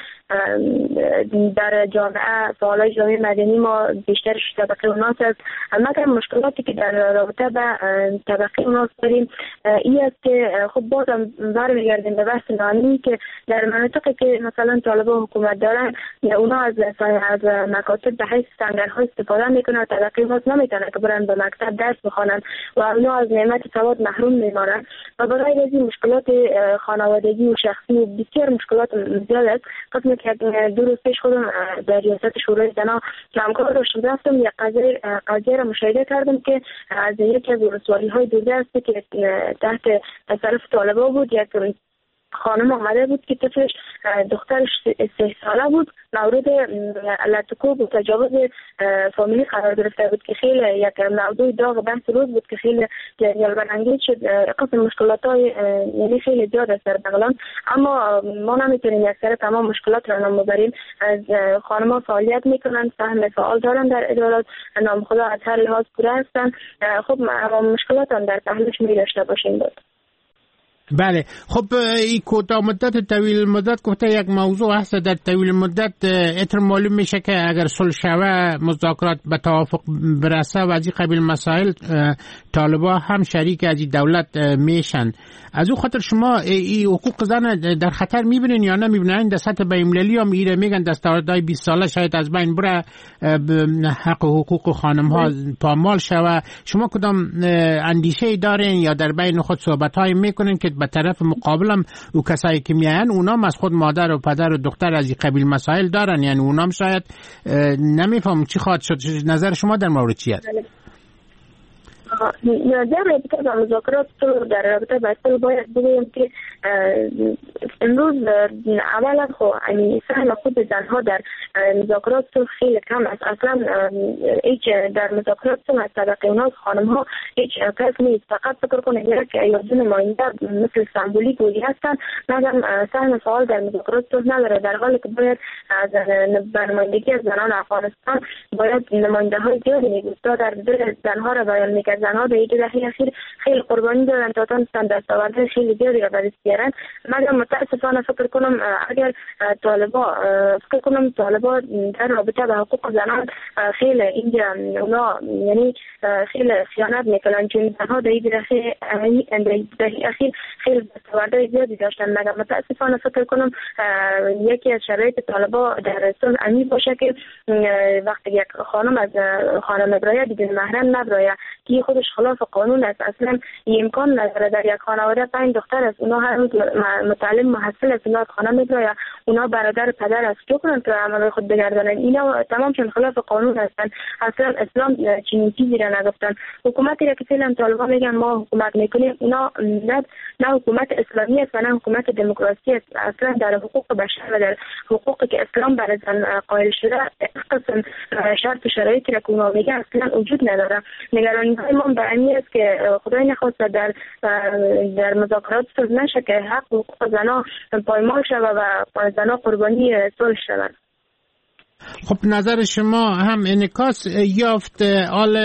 در جامعه فعالای جامعه مدنی ما بیشترش طبقه اوناس است. مگر مشکلاتی که در رابطه با طبقه اوناس داریم ای است که خب بازم برمیگردیم به بحث ناامنی که در مناطقی که مثلا طالبان حکومت دارن اونا از از مکاتب به حیث سنگرها استفاده میکنن، طبقه اوناس نمیتونن که برن به مکتب درس بخوانن و اونا از نعمت سواد محروم میمانن و برای از این مشکلات خانوادگی و شخصی و بسیار مشکلات زیاد است. قسم که دو روز پیش خودم در ریاست شورای زنان که همکار داشتم رفتم یک قضیه قضیه را مشاهده کردم که از یکی از ولسوالی‌های دورده است که تحت تصرف طالبان بود، یک خانم آمده بود که طفلش دخترش سه ساله بود مورد لطکوب و تجاوز فامیلی قرار گرفته بود که خیلی یک موضوع داغ بحث روز بود که خیلی جنجال برانگیز شد. قسم مشکلات های یعنی خیلی زیاد است در بغلان، اما ما نمیتونیم یک سر تمام مشکلات را نام ببریم. از خانم ها فعالیت میکنن، سهم فعال دارن در ادارات، نام خدا از هر لحاظ پوره هستن. خب اما مشکلات هم در پهلوش می داشته باشیم بود. بله، خب این کوتاه مدت طویل مدت گفته یک موضوع هست. در طویل مدت اتر معلوم میشه که اگر صلح شوه، مذاکرات به توافق برسه و از این قبیل مسائل، طالبا هم شریک از این دولت میشن. از او خاطر شما این حقوق زن در خطر میبینین یا نمیبینین؟ در سطح بین‌المللی هم ایره میگن دستاوردهای بیست ساله شاید از بین بره، حق و حقوق خانم ها پامال شوه. شما کدام اندیشه دارین یا در بین خود صحبت های میکنین که به طرف مقابلم او کسایی که میاین اونام از خود مادر و پدر و دختر از این قبیل مسائل دارن، یعنی اونام شاید نمیفهم چی خواهد شد. نظر شما در مورد چی است؟ در رابطه با مذاکرات در رابطه با صلح باید بگویم که امروز اولا خب یعنی سهم خود زنها در مذاکرات صلح خیلی کم است. اصلا هیچ در مذاکرات صلح از طبقه اوناس خانم ها هیچ کس نیست. فقط فکر کنید یک یا دو نماینده مثل سمبولیک ولی هستن، مگر سهم فعال در مذاکرات صلح نداره، در حالی که باید از نمایندگی از زنان افغانستان باید نماینده های زیادی می‌بود تا در دل زنها را بیان می‌کرد. زنها به یک دهه اخیر خیلی قربانی دادن تا تونستن دستاوردهای خیلی زیادی را به دست بیارن. مگر متاسفانه فکر کنم اگر طالبا فکر کنم طالبا در رابطه با حقوق زنان خیلی اینجا اونا یعنی خیلی خیانت میکنن، چون زنها در یک دهه اخیر خیلی دستاوردهای زیادی داشتن. مگر متاسفانه فکر کنم یکی از شرایط طالبا در صلح امی باشه که وقتی یک خانم از خانم برایه بدون محرم نبرایه که خودش خلاف قانون است. اصلا امکان نداره در یک خانواده پنج دختر است، اونا هر روز متعلم محصل است، اونا از خانه میبراید، اونا برادر پدر است، چه کنن که عمل خود بگردانن؟ اینا تمامشون خلاف قانون هستند. اصلا اسلام چنین چیزی را نگفتن. حکومتی را که فعلا طالبان میگن ما حکومت میکنیم، اونا نه نه حکومت اسلامی است و نه حکومت دموکراسی است. اصلا در حقوق بشر و در حقوقی که اسلام برای زن قائل شده قسم شرط و شرایطی را که اونا میگن اصلا وجود نداره. نگرانی های ما به این است که خدای نخواسته در در مذاکرات صلح نشه که حق و حقوق زنان پایمال شود و زنان قربانی صلح شوند. خب نظر شما هم انعکاس یافت. آل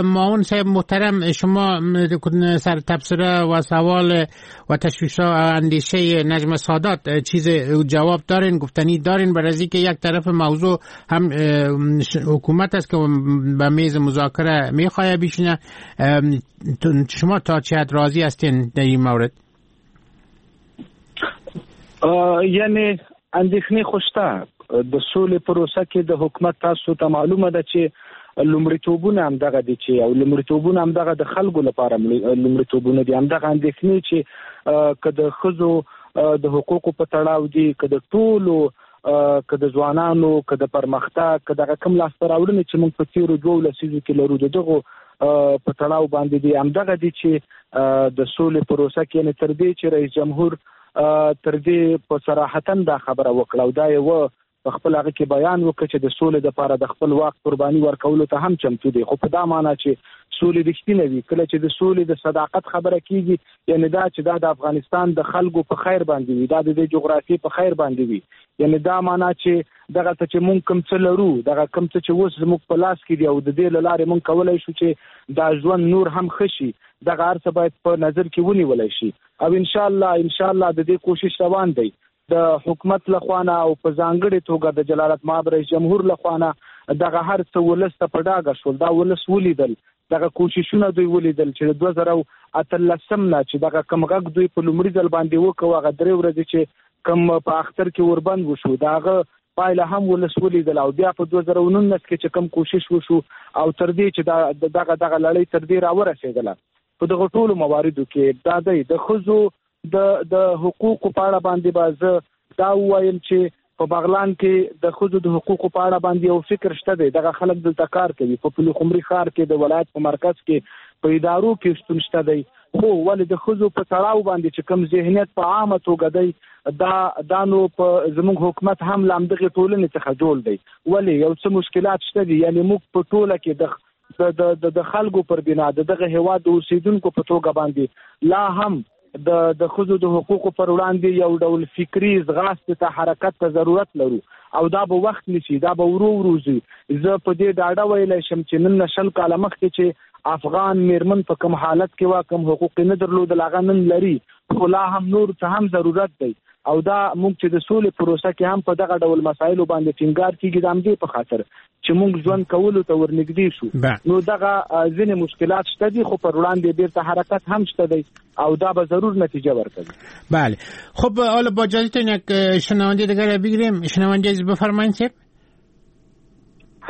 معاون صاحب محترم، شما سر تبصره و سوال و تشویش و اندیشه نجم سادات چیز جواب دارین، گفتنی دارین؟ برای که یک طرف موضوع هم حکومت است که به میز مذاکره میخواه بیشینه، شما تا چه حد راضی هستین در این مورد؟ یعنی اندېښنې خو شته. د سولې پروسه کې د حکومت تاسو ته معلومه ده چې لومړیتوبونه هم دغه دي چې او لومړیتوبونه هم دغه د خلکو لپاره لومړیتوبونه دي. هم دغه اندېښنې چې که د ښځو د حقوقو په تړاو دي، که د ټولو، که د ځوانانو، که د پرمختګ، که دغه کوم لاسته راوړنې چې موږ په تېرو دوو لسیزو کې لرو د دغو په تړاو باندې دي، هم دغه دي چې د سولې پروسه کې یعنې تر دې چې رئیس جمهور تر دې په صراحتاً دا خبره وکړه او دا یې و په خپل هغه کې بیان وکړ چې د سولې دپاره د خپل واک قرباني ورکولو ته هم چمتو دی. خو په دا معنا چې سولې رښتینې وي، کله چې د سولې د صداقت خبره کیږي، یعنې دا چې دا د افغانستان د خلکو په خیر باندې وي، دا د دې جغرافیې په خیر باندې وي، یعنې دا معنا چې دغه ته چې مونږ کوم څه لرو، دغه کوم څه چې اوس زموږ په لاس کې دي او د دې له لارې مونږ کولی شو چې دا ژوند نور هم ښه شي، دغه هر څه باید په نظر کې ونیولی شي. او انشاءالله انشاءالله د دې کوشش روان دی د حکومت له خوا نه او په ځانګړې توګه د جلالت مآب رئیس جمهور له خوا نه. دغه هر څه ولس ته په ډاګه شول، دا ولس ولیدل، دغه کوششونه دوی ولیدل چې د دوه زره او اتلسم نه چې دغه کوم غږ دوی په لومړي ځل باندې وکړ، هغه درې ورځې چې کوم په اختر کې اوربند وشو، د هغه پایله هم ولس ولیدل. او بیا په دوه زره او نولس کې چې کوم کوشش وشو او تر دې چې دا دغه دغه لړۍ تر دې راورسېدله، په دغه ټولو مواردو کې دا دی د ښځو د د حقوقو په اړه باندې به زه دا ووایم چې په بغلان کې د ښځو د حقوقو په اړه باندې یو فکر شته دی. دغه خلک دلته کار کوي، په پلخمري ښار کې د ولایت په مرکز کې په ادارو کې شتون شته دی، خو ولې د ښځو په تړاو باندې چې کوم ذهنیت په عامه توګه دی، دا دا نو په زموږ حکومت هم له همدغې ټولنې څخه جوړ دی. ولې یو څه مشکلات شته دي، یعنې موږ په ټوله کې د د د د خلکو پر بنا د دغه هیواد د اوسېدونکو په توګه باندې لا هم د د ښځو د حقوقو پر وړاندې یو ډول فکري ځغاستې ته حرکت ته ضرورت لرو او دا به وخت نیسي، دا به ورو ورو ځي. زه په دې ډاډه ویلی شم چې نن نه شل کاله مخکې چې افغان میرمن په کوم حالت کې وه، کوم حقوق یې نه درلودل، هغه نن لري، خو لا هم نور څه هم ضرورت دی. او دا موږ چې د سولې پروسه کې هم په دغه ډول مسایلو باندې ټینګار کیږي، د همدې په خاطر چې موږ ژوند کولو ته ورنږدې شو. نو دغه ځینې مشکلات شته دي، خو پر وړاندې بیرته حرکت هم شته دی او دا به ضرور نتیجه ورکوي. بله، خب حالا با اجازهتون یک شنونده دیگر بگیریم. شنونده عزیز بفرمایید صاحب.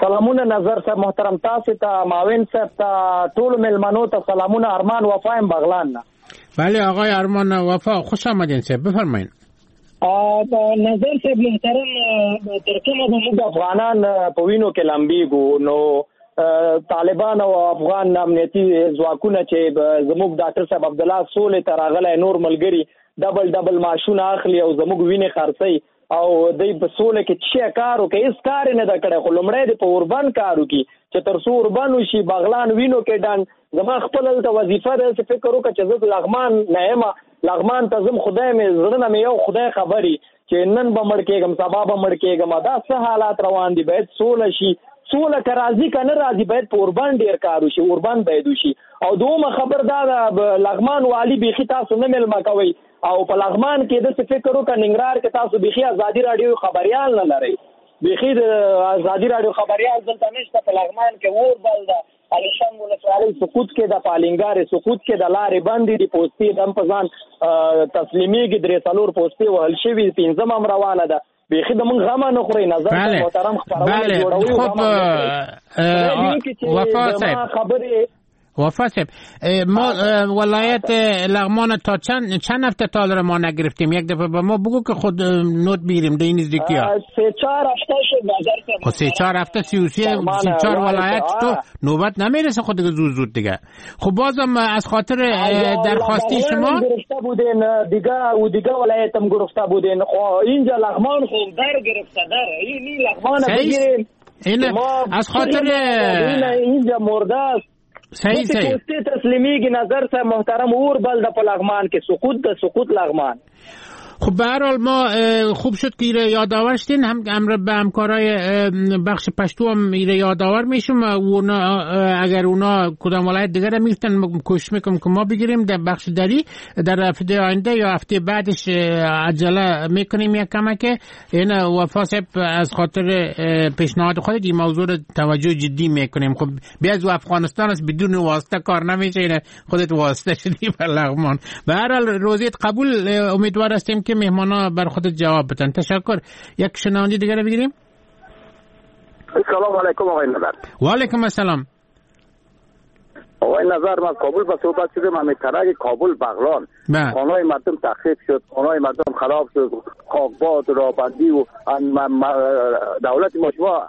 سلامونه نظر صاحب محترم، تاسو ته، معاون صاحب ته، ټولو میلمنو ته سلامونه. ارمان وفا یم بغلان نه. بله آقای ارمان وفا خوش آمدین صاحب، بفرمایید. نظر صاحب محترم، تر کومه به موږ افغانان په وینو کې لمبیږو؟ نو طالبان او افغان امنیتي ځواکونه چې زموږ ډاکټر صاحب عبدالله سولې ته راغلی، نور ملګري ډبل ډبل معاشونه اخلي او زموږ وینې خرڅوي، او دوی په سوله کې څه کار وکړي؟ هېڅ کار یې نه ده کړی. خو لومړی دې په اوربند کار وکړي چې تر څو اوربند وشي، بغلان وینو کې ډنډ. زما خپل هلته وظیفه ده، داسې فکر وکړه چې زه لغمان نه یم، لغمان ته ځم، خدای مې زړه نه مې یو خدای خبري چې نن به مړ کېږم، سبا به مړ کېږم. دا څه حالات روان دي؟ باید سوله شي. سوله که راځي که نه راځي، باید په اوربند ډېر کار وشي، اوربند باید وشي. او دومه خبر دا ده، لغمان والي بیخي تاسو نه مېلمه کوئ، او په لغمان کې داسې فکر وکړه، ننګرهار کې تاسو بیخي ازادي راډیو خبریال نه لرئ، بیخي د ازادي راډیو خبریال دلته نشته. په لغمان کې اور بل ده، علیشنګ ولسوالۍ سقوط کې ده، پالنګار سقوط کې ده، لارې بندې دي، پوستې دم په ځان تسلیمیږي، درې څلور پوستې وهل شوي، پنځم هم روانه ده. بیخي د موږ غمه نه خورئ. نظر محترم خپرونه جوړوي. خب وفا صاحب، خبرې وفا صاحب، ما ولایت لغمان تا چند چند هفته تا را ما نگرفتیم. یک دفعه به ما بگو که خود نوت بگیریم در این نزدیکی ها. سه چهار هفته شد نظر صاحب. خب سه چهار هفته سی و سه چهار ولایت تو نوبت نمیرسه خود دیگه زود زود دیگه. خب بازم از خاطر درخواستی شما گرفته بودین دیگه و دیگه ولایت هم گرفته بودین. خب اینجا لغمان خو در گرفته، در این لغمان بگیریم. این از خاطر اینجا مرده است. صحیح صحیح پوستې تسلیمیږي. نظر صاحب محترم، اور بل د په لغمان کې سقوط د سقوط لغمان. خب به هر حال ما خوب شد که ایره یادآور شدین، هم امر به همکارای بخش پشتو هم ایره یادآور میشم و اونا اگر اونا کدام ولایت دیگر میفتن کوشش میکنم که ما بگیریم در بخش دری در هفته آینده یا هفته بعدش عجله میکنیم یک کمک. این وفا صاحب از خاطر پیشنهاد خودت این موضوع رو توجه جدی میکنیم. خب بیا از افغانستان است، بدون واسطه کار نمیشه، این خودت واسطه شدی بر لغمان. به هر حال روزیت قبول، امیدوار هستیم که مهمانا بر خودت جواب بدن. تشکر. یک شنونده دیگر رو بگیریم. سلام علیکم آقای نظر. و علیکم السلام. آقای نظر، من کابل با صحبت شدم، همین طرح کابل بغلان خانه‌های مردم تخریب شد، خانه‌های مردم خراب شد، خاکباد رابندی و دولت ما شما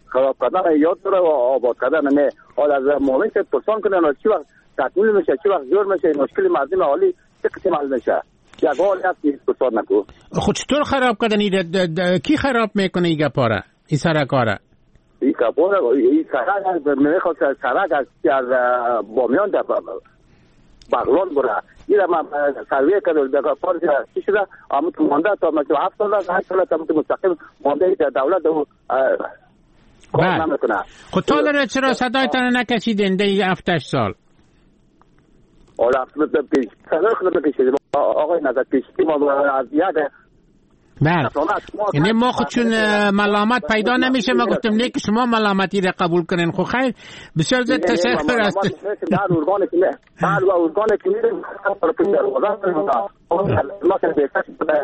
خراب کردن یاد داره و آباد کردن نه. حالا از معاون پرسان کنن چی وقت تکمیل میشه، چی وقت جور میشه، مشکل مردم عالی چه قسم حل میشه. یک حال هست پرسان نکو. خود چطور خراب کردن؟ کی خراب میکنه این گپاره، این سرکاره؟ این گپاره، این سرک میخواد سرک از از بامیان در بغلان بره. این ما سروی کردم در پارک چی شده، اما تو مانده تا مثلا هفت سال هشت سال تا مستقیم مانده در دولت او کار نمیکنه. خب تا داره چرا صدایتان نکشیدین در هفت هشت سال؟ آره صدای خود بکشیدیم آقای نظر، کشیدیم از یک بله. یعنی ما خود چون ملامت پیدا نمیشه ما گفتم نه که شما ملامتی را قبول کنین. خب خیر، بسیار زیاد تشکر است. در ارگان که هر ارگان که میریم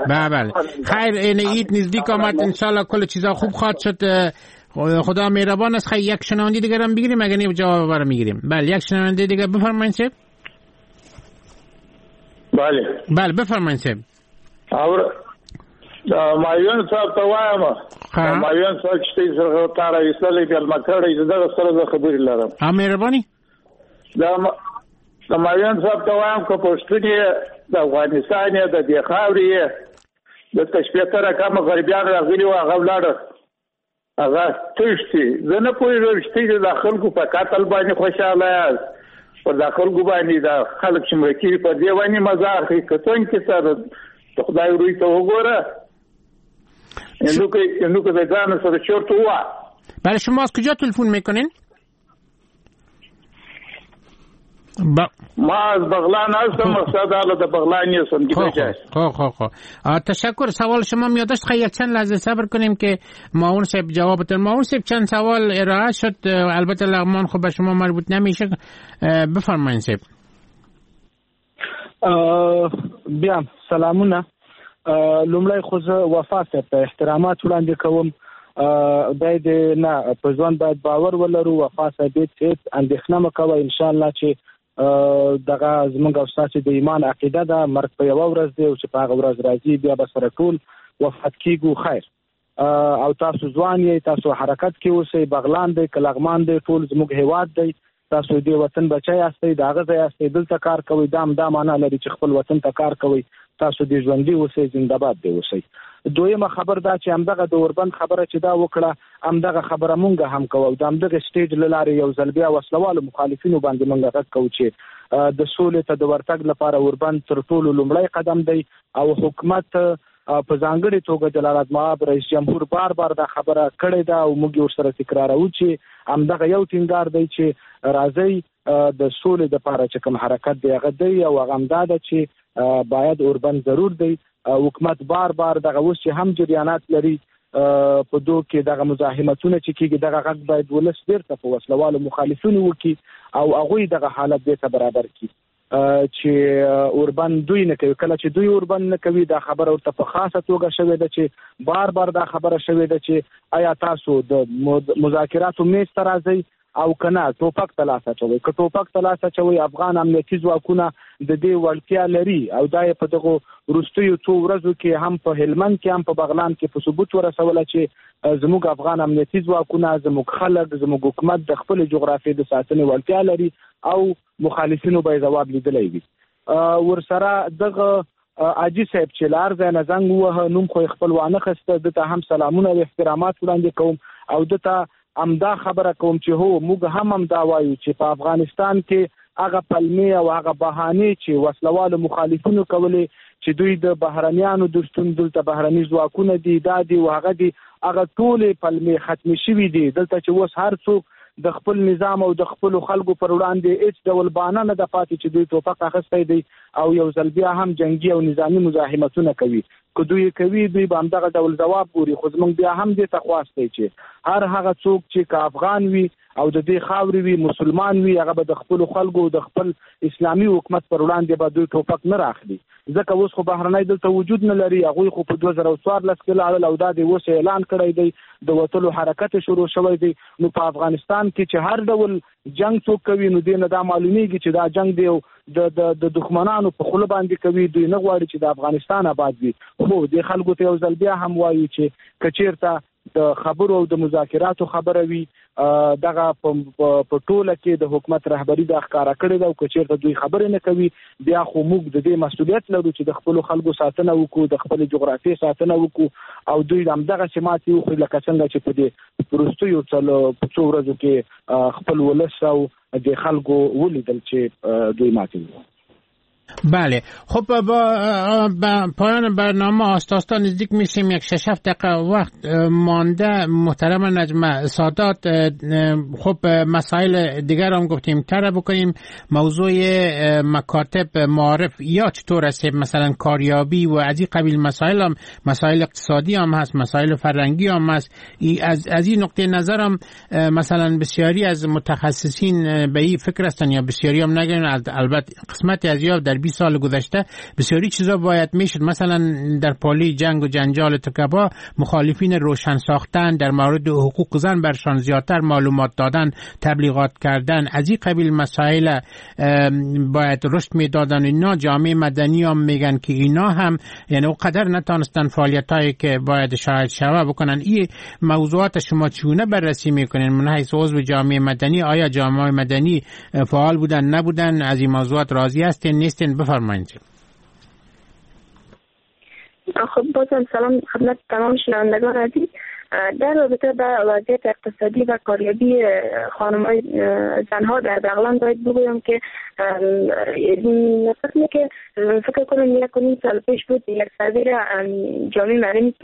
بله بله خیر، این عید نزدیک آمد، انشالله کل چیزا خوب خواهد شد. خدا مهربان است. خیر، یک شنونده دیگر هم بگیریم، اگر نه جواب برام میگیریم. بله، یک شنونده دیگر بفرمایید صاحب. بله بله بفرمایید صاحب. مایون صاحب ته وایم، مایون صاحب چې تاسو سره تار ایستلې بیا ما کړی، زه دغه سره زه خبرې لرم. ها مهرباني. د مایون صاحب ته وایم که پښتون یې د افغانستان یې د دې خاورې یې د شپېته رقمه غربیان راغلي وو، هغه ولاړه هغه تښتي. زه نه پوهېږم چې تاسو د خلکو په قتل باندې خوشحاله یاست، پر د خلکو باندې دا خلک چې مړه کېږي په دې باندې مزه اخلي. که څنګه سره د خدای روی ته وګوره، اینو که به ځان سره چرت وه. برای شما از کجا تلفن میکنین؟ با... ما از بغلان هستم، مقصد حالا د بغلان یستم. خب خب خب تشکر. سوال شما میاداشت. خیلی چند لحظه صبر کنیم که معاون صاحب جوابتون. معاون صاحب چند سوال ارائه شد، البته لغمان خب به شما مربوط نمیشه. بفرمایید صاحب. بیا سلامونه. لومړی خو زه وفا صاحب ته احترامات وړاندې کوم. باید نه په ژوند باید باور ولرو. وفا صاحب هیڅ اندېښنه مه کوه، انشاءالله چې دغه زمونږ او ستاسې د ایمان عقیده ده، مرګ په یوه ورځ دی او چې په هغه ورځ راځي بیا به سره ټول وفات کیږو. خیر، او تاسو ځوان یئ، تاسو حرکت کې اوسئ. بغلان دی که لغمان دی، ټول زموږ هیواد دی. تاسو دې وطن بچی یاستئ، د هغه ځای یاستئ، دلته کار کوئ. دا هم دا معنا لري چې خپل وطن ته کار کوئ. تاسو دې ژوندي اوسئ، زنده باد دې اوسئ. دویمه خبر دا چې همدغه د اوربند خبره چې دا وکړه، همدغه خبره مونږ هم کوو. د همدغه stage له لارې یو ځل بیا وسلهوالو مخالفینو باندې مونږ غږ کوو چې د سولې ته د ورتګ لپاره اوربند تر ټولو لومړی قدم دی. او حکومت په ځانګړې توګه جلالت مآب رئیس جمهور بار بار دا خبره کړې ده او موږ یې ورسره تکراروو چې همدغه یو ټینګار دی چې راځئ د سولې دپاره چې کوم حرکت دی هغه دی، او هغه همدا ده چې باید اوربند ضرور دی. حکومت بار بار دغه اوس چې هم جریانات لري په دوه کې دغه مزاحمتونه چې کېږي، دغه غږ باید ولس بیرته په وسلهوالو مخالفینو وکړي او هغوی دغه حالت بیرته برابر کړي چې اوربند دوی نه کوي. کله چې دوی اوربند نه کوي، دا خبره ورته په خاصه توګه شوې ده چې بار بار دا خبره شوې ده چې آیا تاسو د مذاکراتو میز ته راځئ او که نه ټوپک ته لاس اچوئ. که ټوپک ته لاس اچوئ، افغان امنیتي ځواکونه د دې وړتیا لري او دا یې په دغو وروستیو څو ورځو کې هم په هلمند کې هم په بغلان کې په ثبوت ورسوله چې زموږ افغان امنیتي ځواکونه، زموږ خلک، زموږ حکومت د خپلې جغرافیې د ساتنې وړتیا لري او مخالفینو به یې ځواب لیدلی وي. ورسره دغه حاجي صاحب چې له هر ځای نه زنګ ووهه، نوم خو یې خپل وانه خسته، ده ته هم سلامونه او احترامات وړاندې کوم او ده ته همدا خبره کوم چې هو موږ هم همدا وایو چې په افغانستان کې هغه پلمې او هغه بهانې چې وسلهوالو مخالفینو کولې چې دوی د بهرنیانو د شتون، دلته بهرني ځواکونه دي، دا دي او هغه دي، هغه ټولې پلمې ختمې شوې دي. دلته چې اوس هر څوک د خپل نظام او د خپلو خلکو پر وړاندې هیڅ ډول بانه نه ده پاتې چې دوی ټوپک اخیستی دی او یو ځل بیا هم جنګي او نظامي مزاحمتونه کوي. که دوی کوي دوی به همدغه ډول ځواب ګوري. خو زموږ بیا هم دې ته خواست دی چې هر هغه څوک چې که افغان وي او د دې خاورې وي، مسلمان وي، هغه به د خپلو خلکو د خپل اسلامي حکومت پر وړاندې به دوی ټوپک نه راخلي، ځکه اوس خو بهرنی دلته وجود نه لري. هغوی خو په دوه زره او څوارلس کې لاړل او دا دی اوس اعلان کړی دی، د وتلو حرکت شروع شوی دی. نو په افغانستان کې چې هر ډول جنگ څوک کوي نو دې نه دا معلومیږي چې دا جنگ دی د د د دښمنانو په خوله باندې کوي، دوی نه غواړي چې د افغانستان آباد وي. خو دې خلکو ته یو ځل بیا هم وایو چې که چیرته د خبرو او د مذاکراتو خبره وي، دغه په ټوله کې د حکومت رهبري دا ښکاره کړې ده، او که چیرته دوی خبرې نه کوي بیا خو موږ د دې مسؤلیت لرو چې د خپلو خلکو ساتنه وکړو، د خپلې جغرافیې ساتنه وکړو او دوی همدغسې ماتې وخوري لکه څنګه چې په دې وروستیو په څو ورځو کې خپل ولس او د خلکو ولیدل چې دوی ماتې وخوري. بله، خب با, با پایان برنامه آستا آستا نزدیک میشیم، یک شش هفت دقیقه وقت مانده. محترم نجمه سادات، خب مسائل دیگر هم گفتیم تر بکنیم. موضوع مکاتب معارف یا چطور است، مثلا کاریابی و از این قبیل مسائل هم، مسائل اقتصادی هم هست، مسائل فرهنگی هم هست. از از این نقطه نظر هم مثلا بسیاری از متخصصین به این فکر هستن، یا بسیاری هم نگن، البته قسمت از یا در بیست سال گذشته بسیاری چیزا باید میشد. مثلا در پالی جنگ و جنجال تکبا مخالفین روشن ساختن، در مورد حقوق زن برشان زیادتر معلومات دادن، تبلیغات کردن، از این قبیل مسائل باید رشد میدادن. اینا جامعه مدنی هم میگن که اینا هم یعنی اونقدر نتانستن فعالیتایی که باید شاهد شوه بکنن. این موضوعات شما چونه بررسی میکنین من حیث عضو جامعه مدنی؟ آیا جامعه مدنی فعال بودن نبودن؟ از این موضوعات راضی هستین نیستین؟ بفرمایید. خب بازم سلام خدمت تمام شنوندگان عزیز. در رابطه با وضعیت اقتصادی و کاریابی خانم‌های زنها در بغلان باید بگویم که فکر که فکر کنم یک و نیم سال پیش بود یک سروی را جامعه مدنی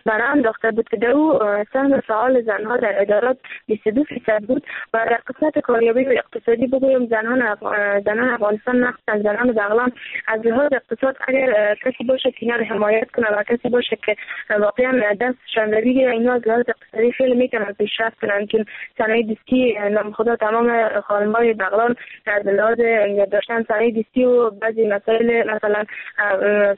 برای انداخته بود که در او سهم فعال زنها در ادارات بیست و دو فیصد بود و در قسمت کاریابی و اقتصادی بگویم زنان افغ... زنان افغانستان مخصوصا زنان بغلان از لحاظ اقتصاد اگر کسی باشه که اینا رو حمایت کنه و کسی باشه که واقعا دستشان رو بگیره، اینا از لحاظ اقتصادی خیلی میتونن پیشرفت کنن. چون صنایع دستی نام خدا تمام خانم‌های بغلان از لحاظ داشتن صنایع دستی و بعضی مسائل مثلا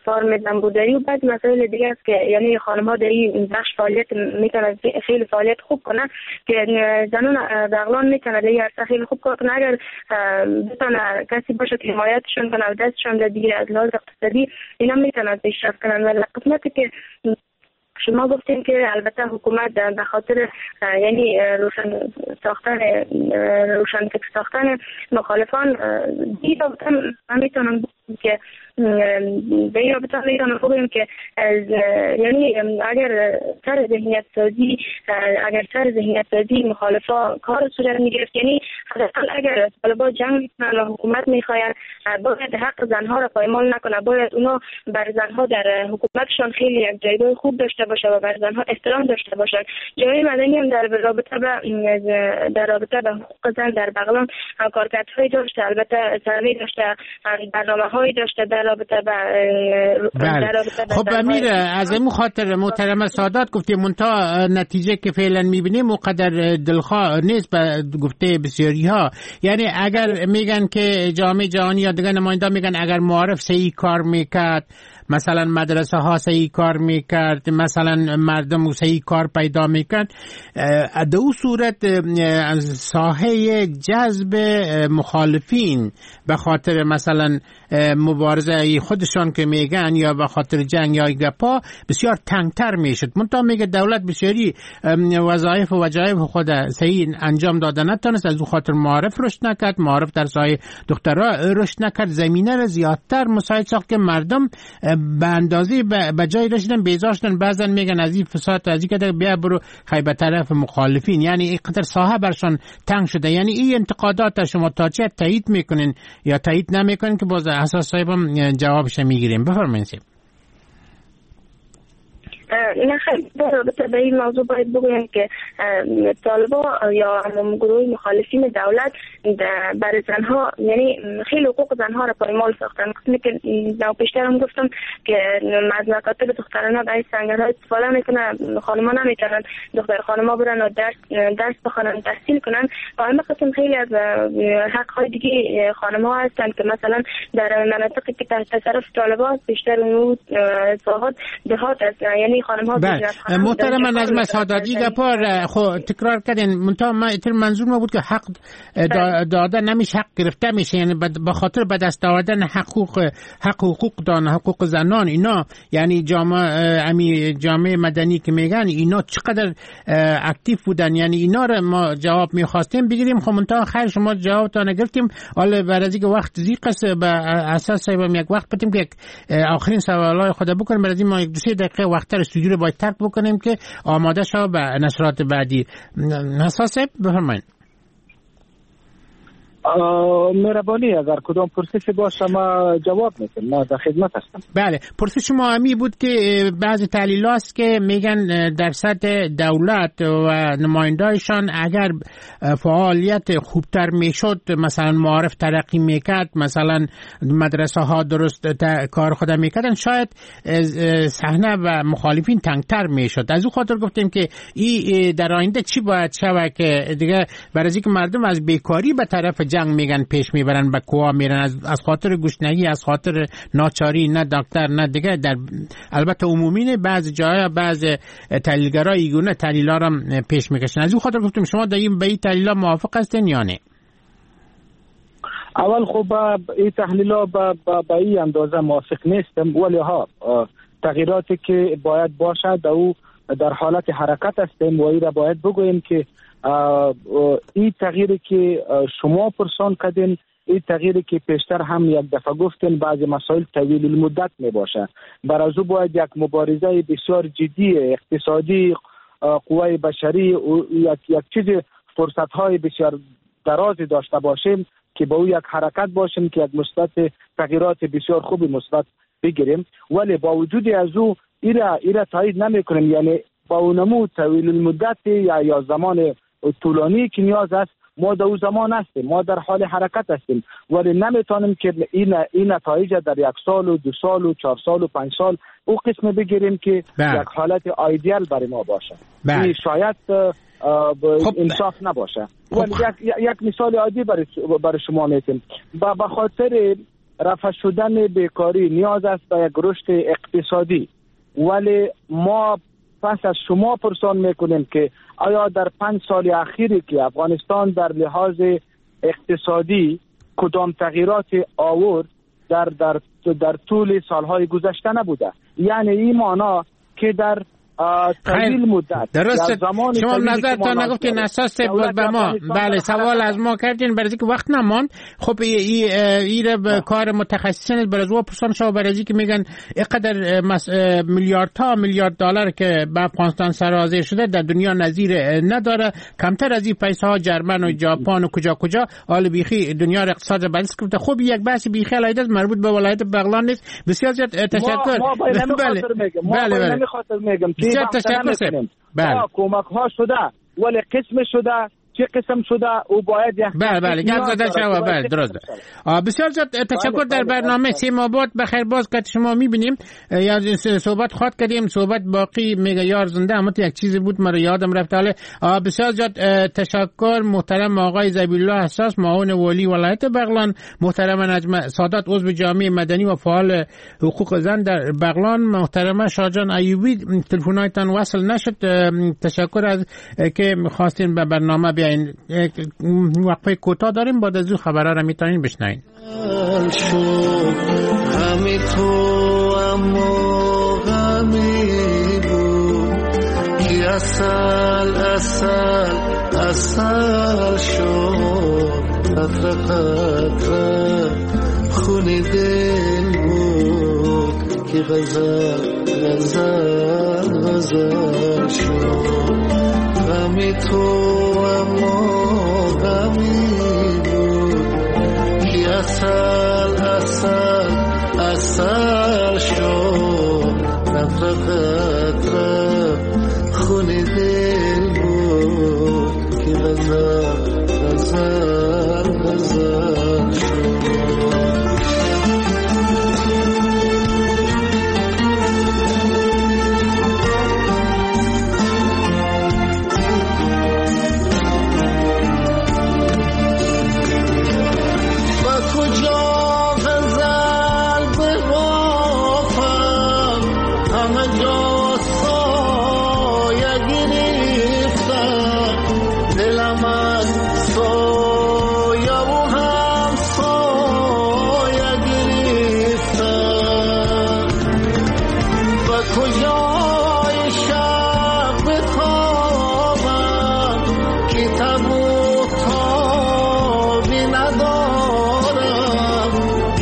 فارم زنبورداری و بعضی مسائل دیگه است که یعنی خانم‌ها در این بخش فعالیت میتونه خیلی فعالیت خوب کنه که زنان بغلان میتونه در این عرصه خیلی خوب کار کنه. اگر بتونه کسی باشه که حمایتشون کنه و دستشون رو بگیره از لحاظ اقتصادی، اینا میتونن پیشرفت کنن. و قسمتی که شما گفتیم که البته حکومت به خاطر یعنی روشن ساختن روشن فکر ساختن مخالفان دی رابطه من میتونم بگم که به این رابطه میتونم بگم که یعنی اگر سر ذهنیت سازی اگر سر ذهنیت سازی مخالفا کار صورت میگرفت، یعنی حداقل اگر طالبان جنگ میکنن و حکومت میخواین باید حق زنها را پایمال نکنه، باید اونا بر زنها در حکومتشان خیلی یک جایگاه خوب داشته باشه و بر زنها احترام داشته باشند. جامعه مدنی هم در رابطه به در رابطه به حقوق زن در بغلان کارکردهای داشته، البته سروی داشته، برنامه‌هایی داشته در رابطه به در رابطه به خب امیر از این خاطر محترم سادات گفتیم منتها نتیجه که فعلا می‌بینیم اونقدر دلخواه نیست به گفته بسیاری‌ها. یعنی اگر میگن که جامعه جهانی یا دیگه نماینده میگن اگر معارف صحیح کار میکرد، مثلا مدرسه ها صحیح کار میکرد، مثلا مردم صحیح کار پیدا میکرد، در او صورت ساحه جذب مخالفین به خاطر مثلا مبارزه خودشان که میگن یا به خاطر جنگ یا گپا بسیار تنگتر میشد. منتها میگه دولت بسیاری وظایف و وجایب خود صحیح انجام داده نتونست، از او خاطر معارف رشد نکرد، معارف در ساحه دخترها رشد نکرد، زمینه را زیادتر مساعد ساخت که مردم به اندازه به جای رسیدن بیزار شدن. بعضن میگن از این فساد از این که بیا برو خیلی به طرف مخالفین، یعنی اینقدر ساحه برشان تنگ شده. یعنی این انتقادات شما تا چه تایید میکنین یا تایید نمیکنین که باز حساس صاحبم جوابش میگیریم. بفرمایید صاحب. نه خیلی در رابطه به این موضوع باید بگویم که طالبا یا گروه مخالفین دولت برای زنها، یعنی خیلی حقوق زنها را پایمال ساختن. قسمی که پیشتر هم گفتم که از مکاتب دخترانه برای سنگرها استفاده میکنن، خانم‌ها نمیتونن دختر خانم‌ها برن و درس درس بخوانن، تحصیل کنن. و همه قسم خیلی از حق‌های دیگه خانم‌ها هستند که مثلا در مناطقی که تحت تصرف طالبان بیشتر اون ساحات دهات است، یعنی بله. محترم نجمه ساداتی گپا خو تکرار کردین، منتها ما منظور ما بود که حق داده نمیشه، حق گرفته میشه، یعنی به خاطر به دست آوردن حقوق حق حقوق دان حقوق زنان اینا، یعنی جامعه امی جامعه مدنی که میگن اینا چقدر active بودن، یعنی اینا رو ما جواب میخواستیم بگیریم. خب منتها خیر شما جوابتان گرفتیم. حالا برای اینکه وقت ضیق است به اساس صاحبم یک وقت بدیم که آخرین سوالای خود بکنیم، برای ما یک دو سه دقیقه وقت استودیو رو باید ترک بکنیم که آماده شو به نشرات بعدی. حساس بفرمایید. مهربانی، اگر کدام پرسش باشه ما جواب میدم، ما در خدمت هستم. بله، پرسش ما همی بود که بعضی تحلیل هاست که میگن در سطح دولت و نمایندهایشان اگر فعالیت خوبتر میشد، مثلا معارف ترقی میکرد، مثلا مدرسه ها درست کار خود میکردن، شاید صحنه و مخالفین تنگتر میشد. از او خاطر گفتیم که ای در آینده چی باید شود که دیگه برای اینکه مردم از بیکاری به طرف جنگ میگن پیش میبرن، به کوه میرن، از از خاطر گشنگی، از خاطر ناچاری، نه دکتر نه دیگه. در البته عمومی نه، بعضی جاها بعض تحلیلگرا ایگونه تحلیل‌ها را پیش میکشن. از اون خاطر گفتم شما در این به این تحلیل‌ها موافق هستین یا نه؟ اول خب این تحلیل‌ها به این اندازه موافق نیستم، ولی ها تغییراتی که باید باشد او در حالت حرکت هستیم و این را باید بگوییم که این تغییری که شما پرسان کردین، این تغییری که پیشتر هم یک دفعه گفتین، بعضی مسائل طویل المدت می باشه. بر از او باید یک مبارزه بسیار جدی اقتصادی، قوای بشری و یک یک چیز فرصت های بسیار درازی داشته باشیم که با او یک حرکت باشیم که یک مثبت تغییرات بسیار خوبی مثبت بگیریم. ولی با وجود از او ایرا ایرا تایید نمی کنیم، یعنی با اونمو طویل المدت یا یا زمان طولانی که نیاز است، ما در او زمان هستیم، ما در حال حرکت هستیم، ولی نمیتونیم که این این نتایج در یک سال و دو سال و چهار سال و پنج سال او قسم بگیریم که بله. یک حالت ایدئال برای ما باشه. بله. این شاید خب انصاف نباشه. ولی یک یک مثال عادی برای برای شما میتیم. با به خاطر رفع شدن بیکاری نیاز است به یک رشد اقتصادی، ولی ما پس از شما پرسان میکنیم که آیا در پنج سال اخیری که افغانستان در لحاظ اقتصادی کدام تغییرات آورد در در در طول سالهای گذشته نبوده؟ یعنی این معنا که در طویل مدت درست شما نظرتان نگفتین اساس بود به ما. بله، سوال از ما کردین برای اینکه وقت نماند. خب ای ای به کار متخصصین برای او پرسان شو، برای اینکه میگن اینقدر مس... میلیاردها میلیارد دلار که به افغانستان سرازیر شده در دنیا نظیر نداره، کمتر از این پیسه ها جرمن و ژاپن و کجا کجا حال بیخی دنیا اقتصاد بلس گفته. خب یک بحث بیخی علیحده مربوط به ولایت بغلان نیست. بسیار زیاد تشکر. ما بله بله بله بسیار تشکر. بله کمک ها شده ولی قسم شده، چه قسم شده او باید یک بله بله گپ زده شوه. بله درست. بسیار زیاد تشکر. در برنامه سیما باد بخیر باز که شما میبینیم یا صحبت خواد کردیم، صحبت باقی میگه یار زنده، اما یک چیزی بود مرا یادم رفت. حالا بسیار زیاد تشکر محترم آقای ذبیح الله حساس معاون والی ولایت بغلان، محترم نجم سادات عضو جامعه مدنی و فعال حقوق زن در بغلان، محترمه شاهجان ایوبی تلفن‌هایتان وصل نشد، تشکر از که خواستین به برنامه بیاین. وقفه کوتاه داریم، بعد از او خبرها را میتونین بشنوین. غمی تو اما غمی بود که اصل اصل اصل شد، قطره قطره خون دل بود که غزل غزل غزل شد. غمی تو اما غمی بود که عسل عسل عسل شد، قطره قطره خون دل بود که غزل غزل غزل شد. کجا غزل ببافم، همه جا سایه گرفتم، دلم از سایه و هم سایه گرفتم. به کجای شب بتابم که تب و تابی ندارم،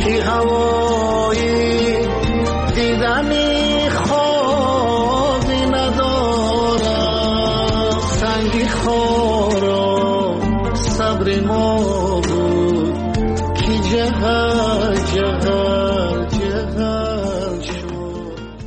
که هوای دیدنی خوابی ندارم. سنگ خارا صبر ما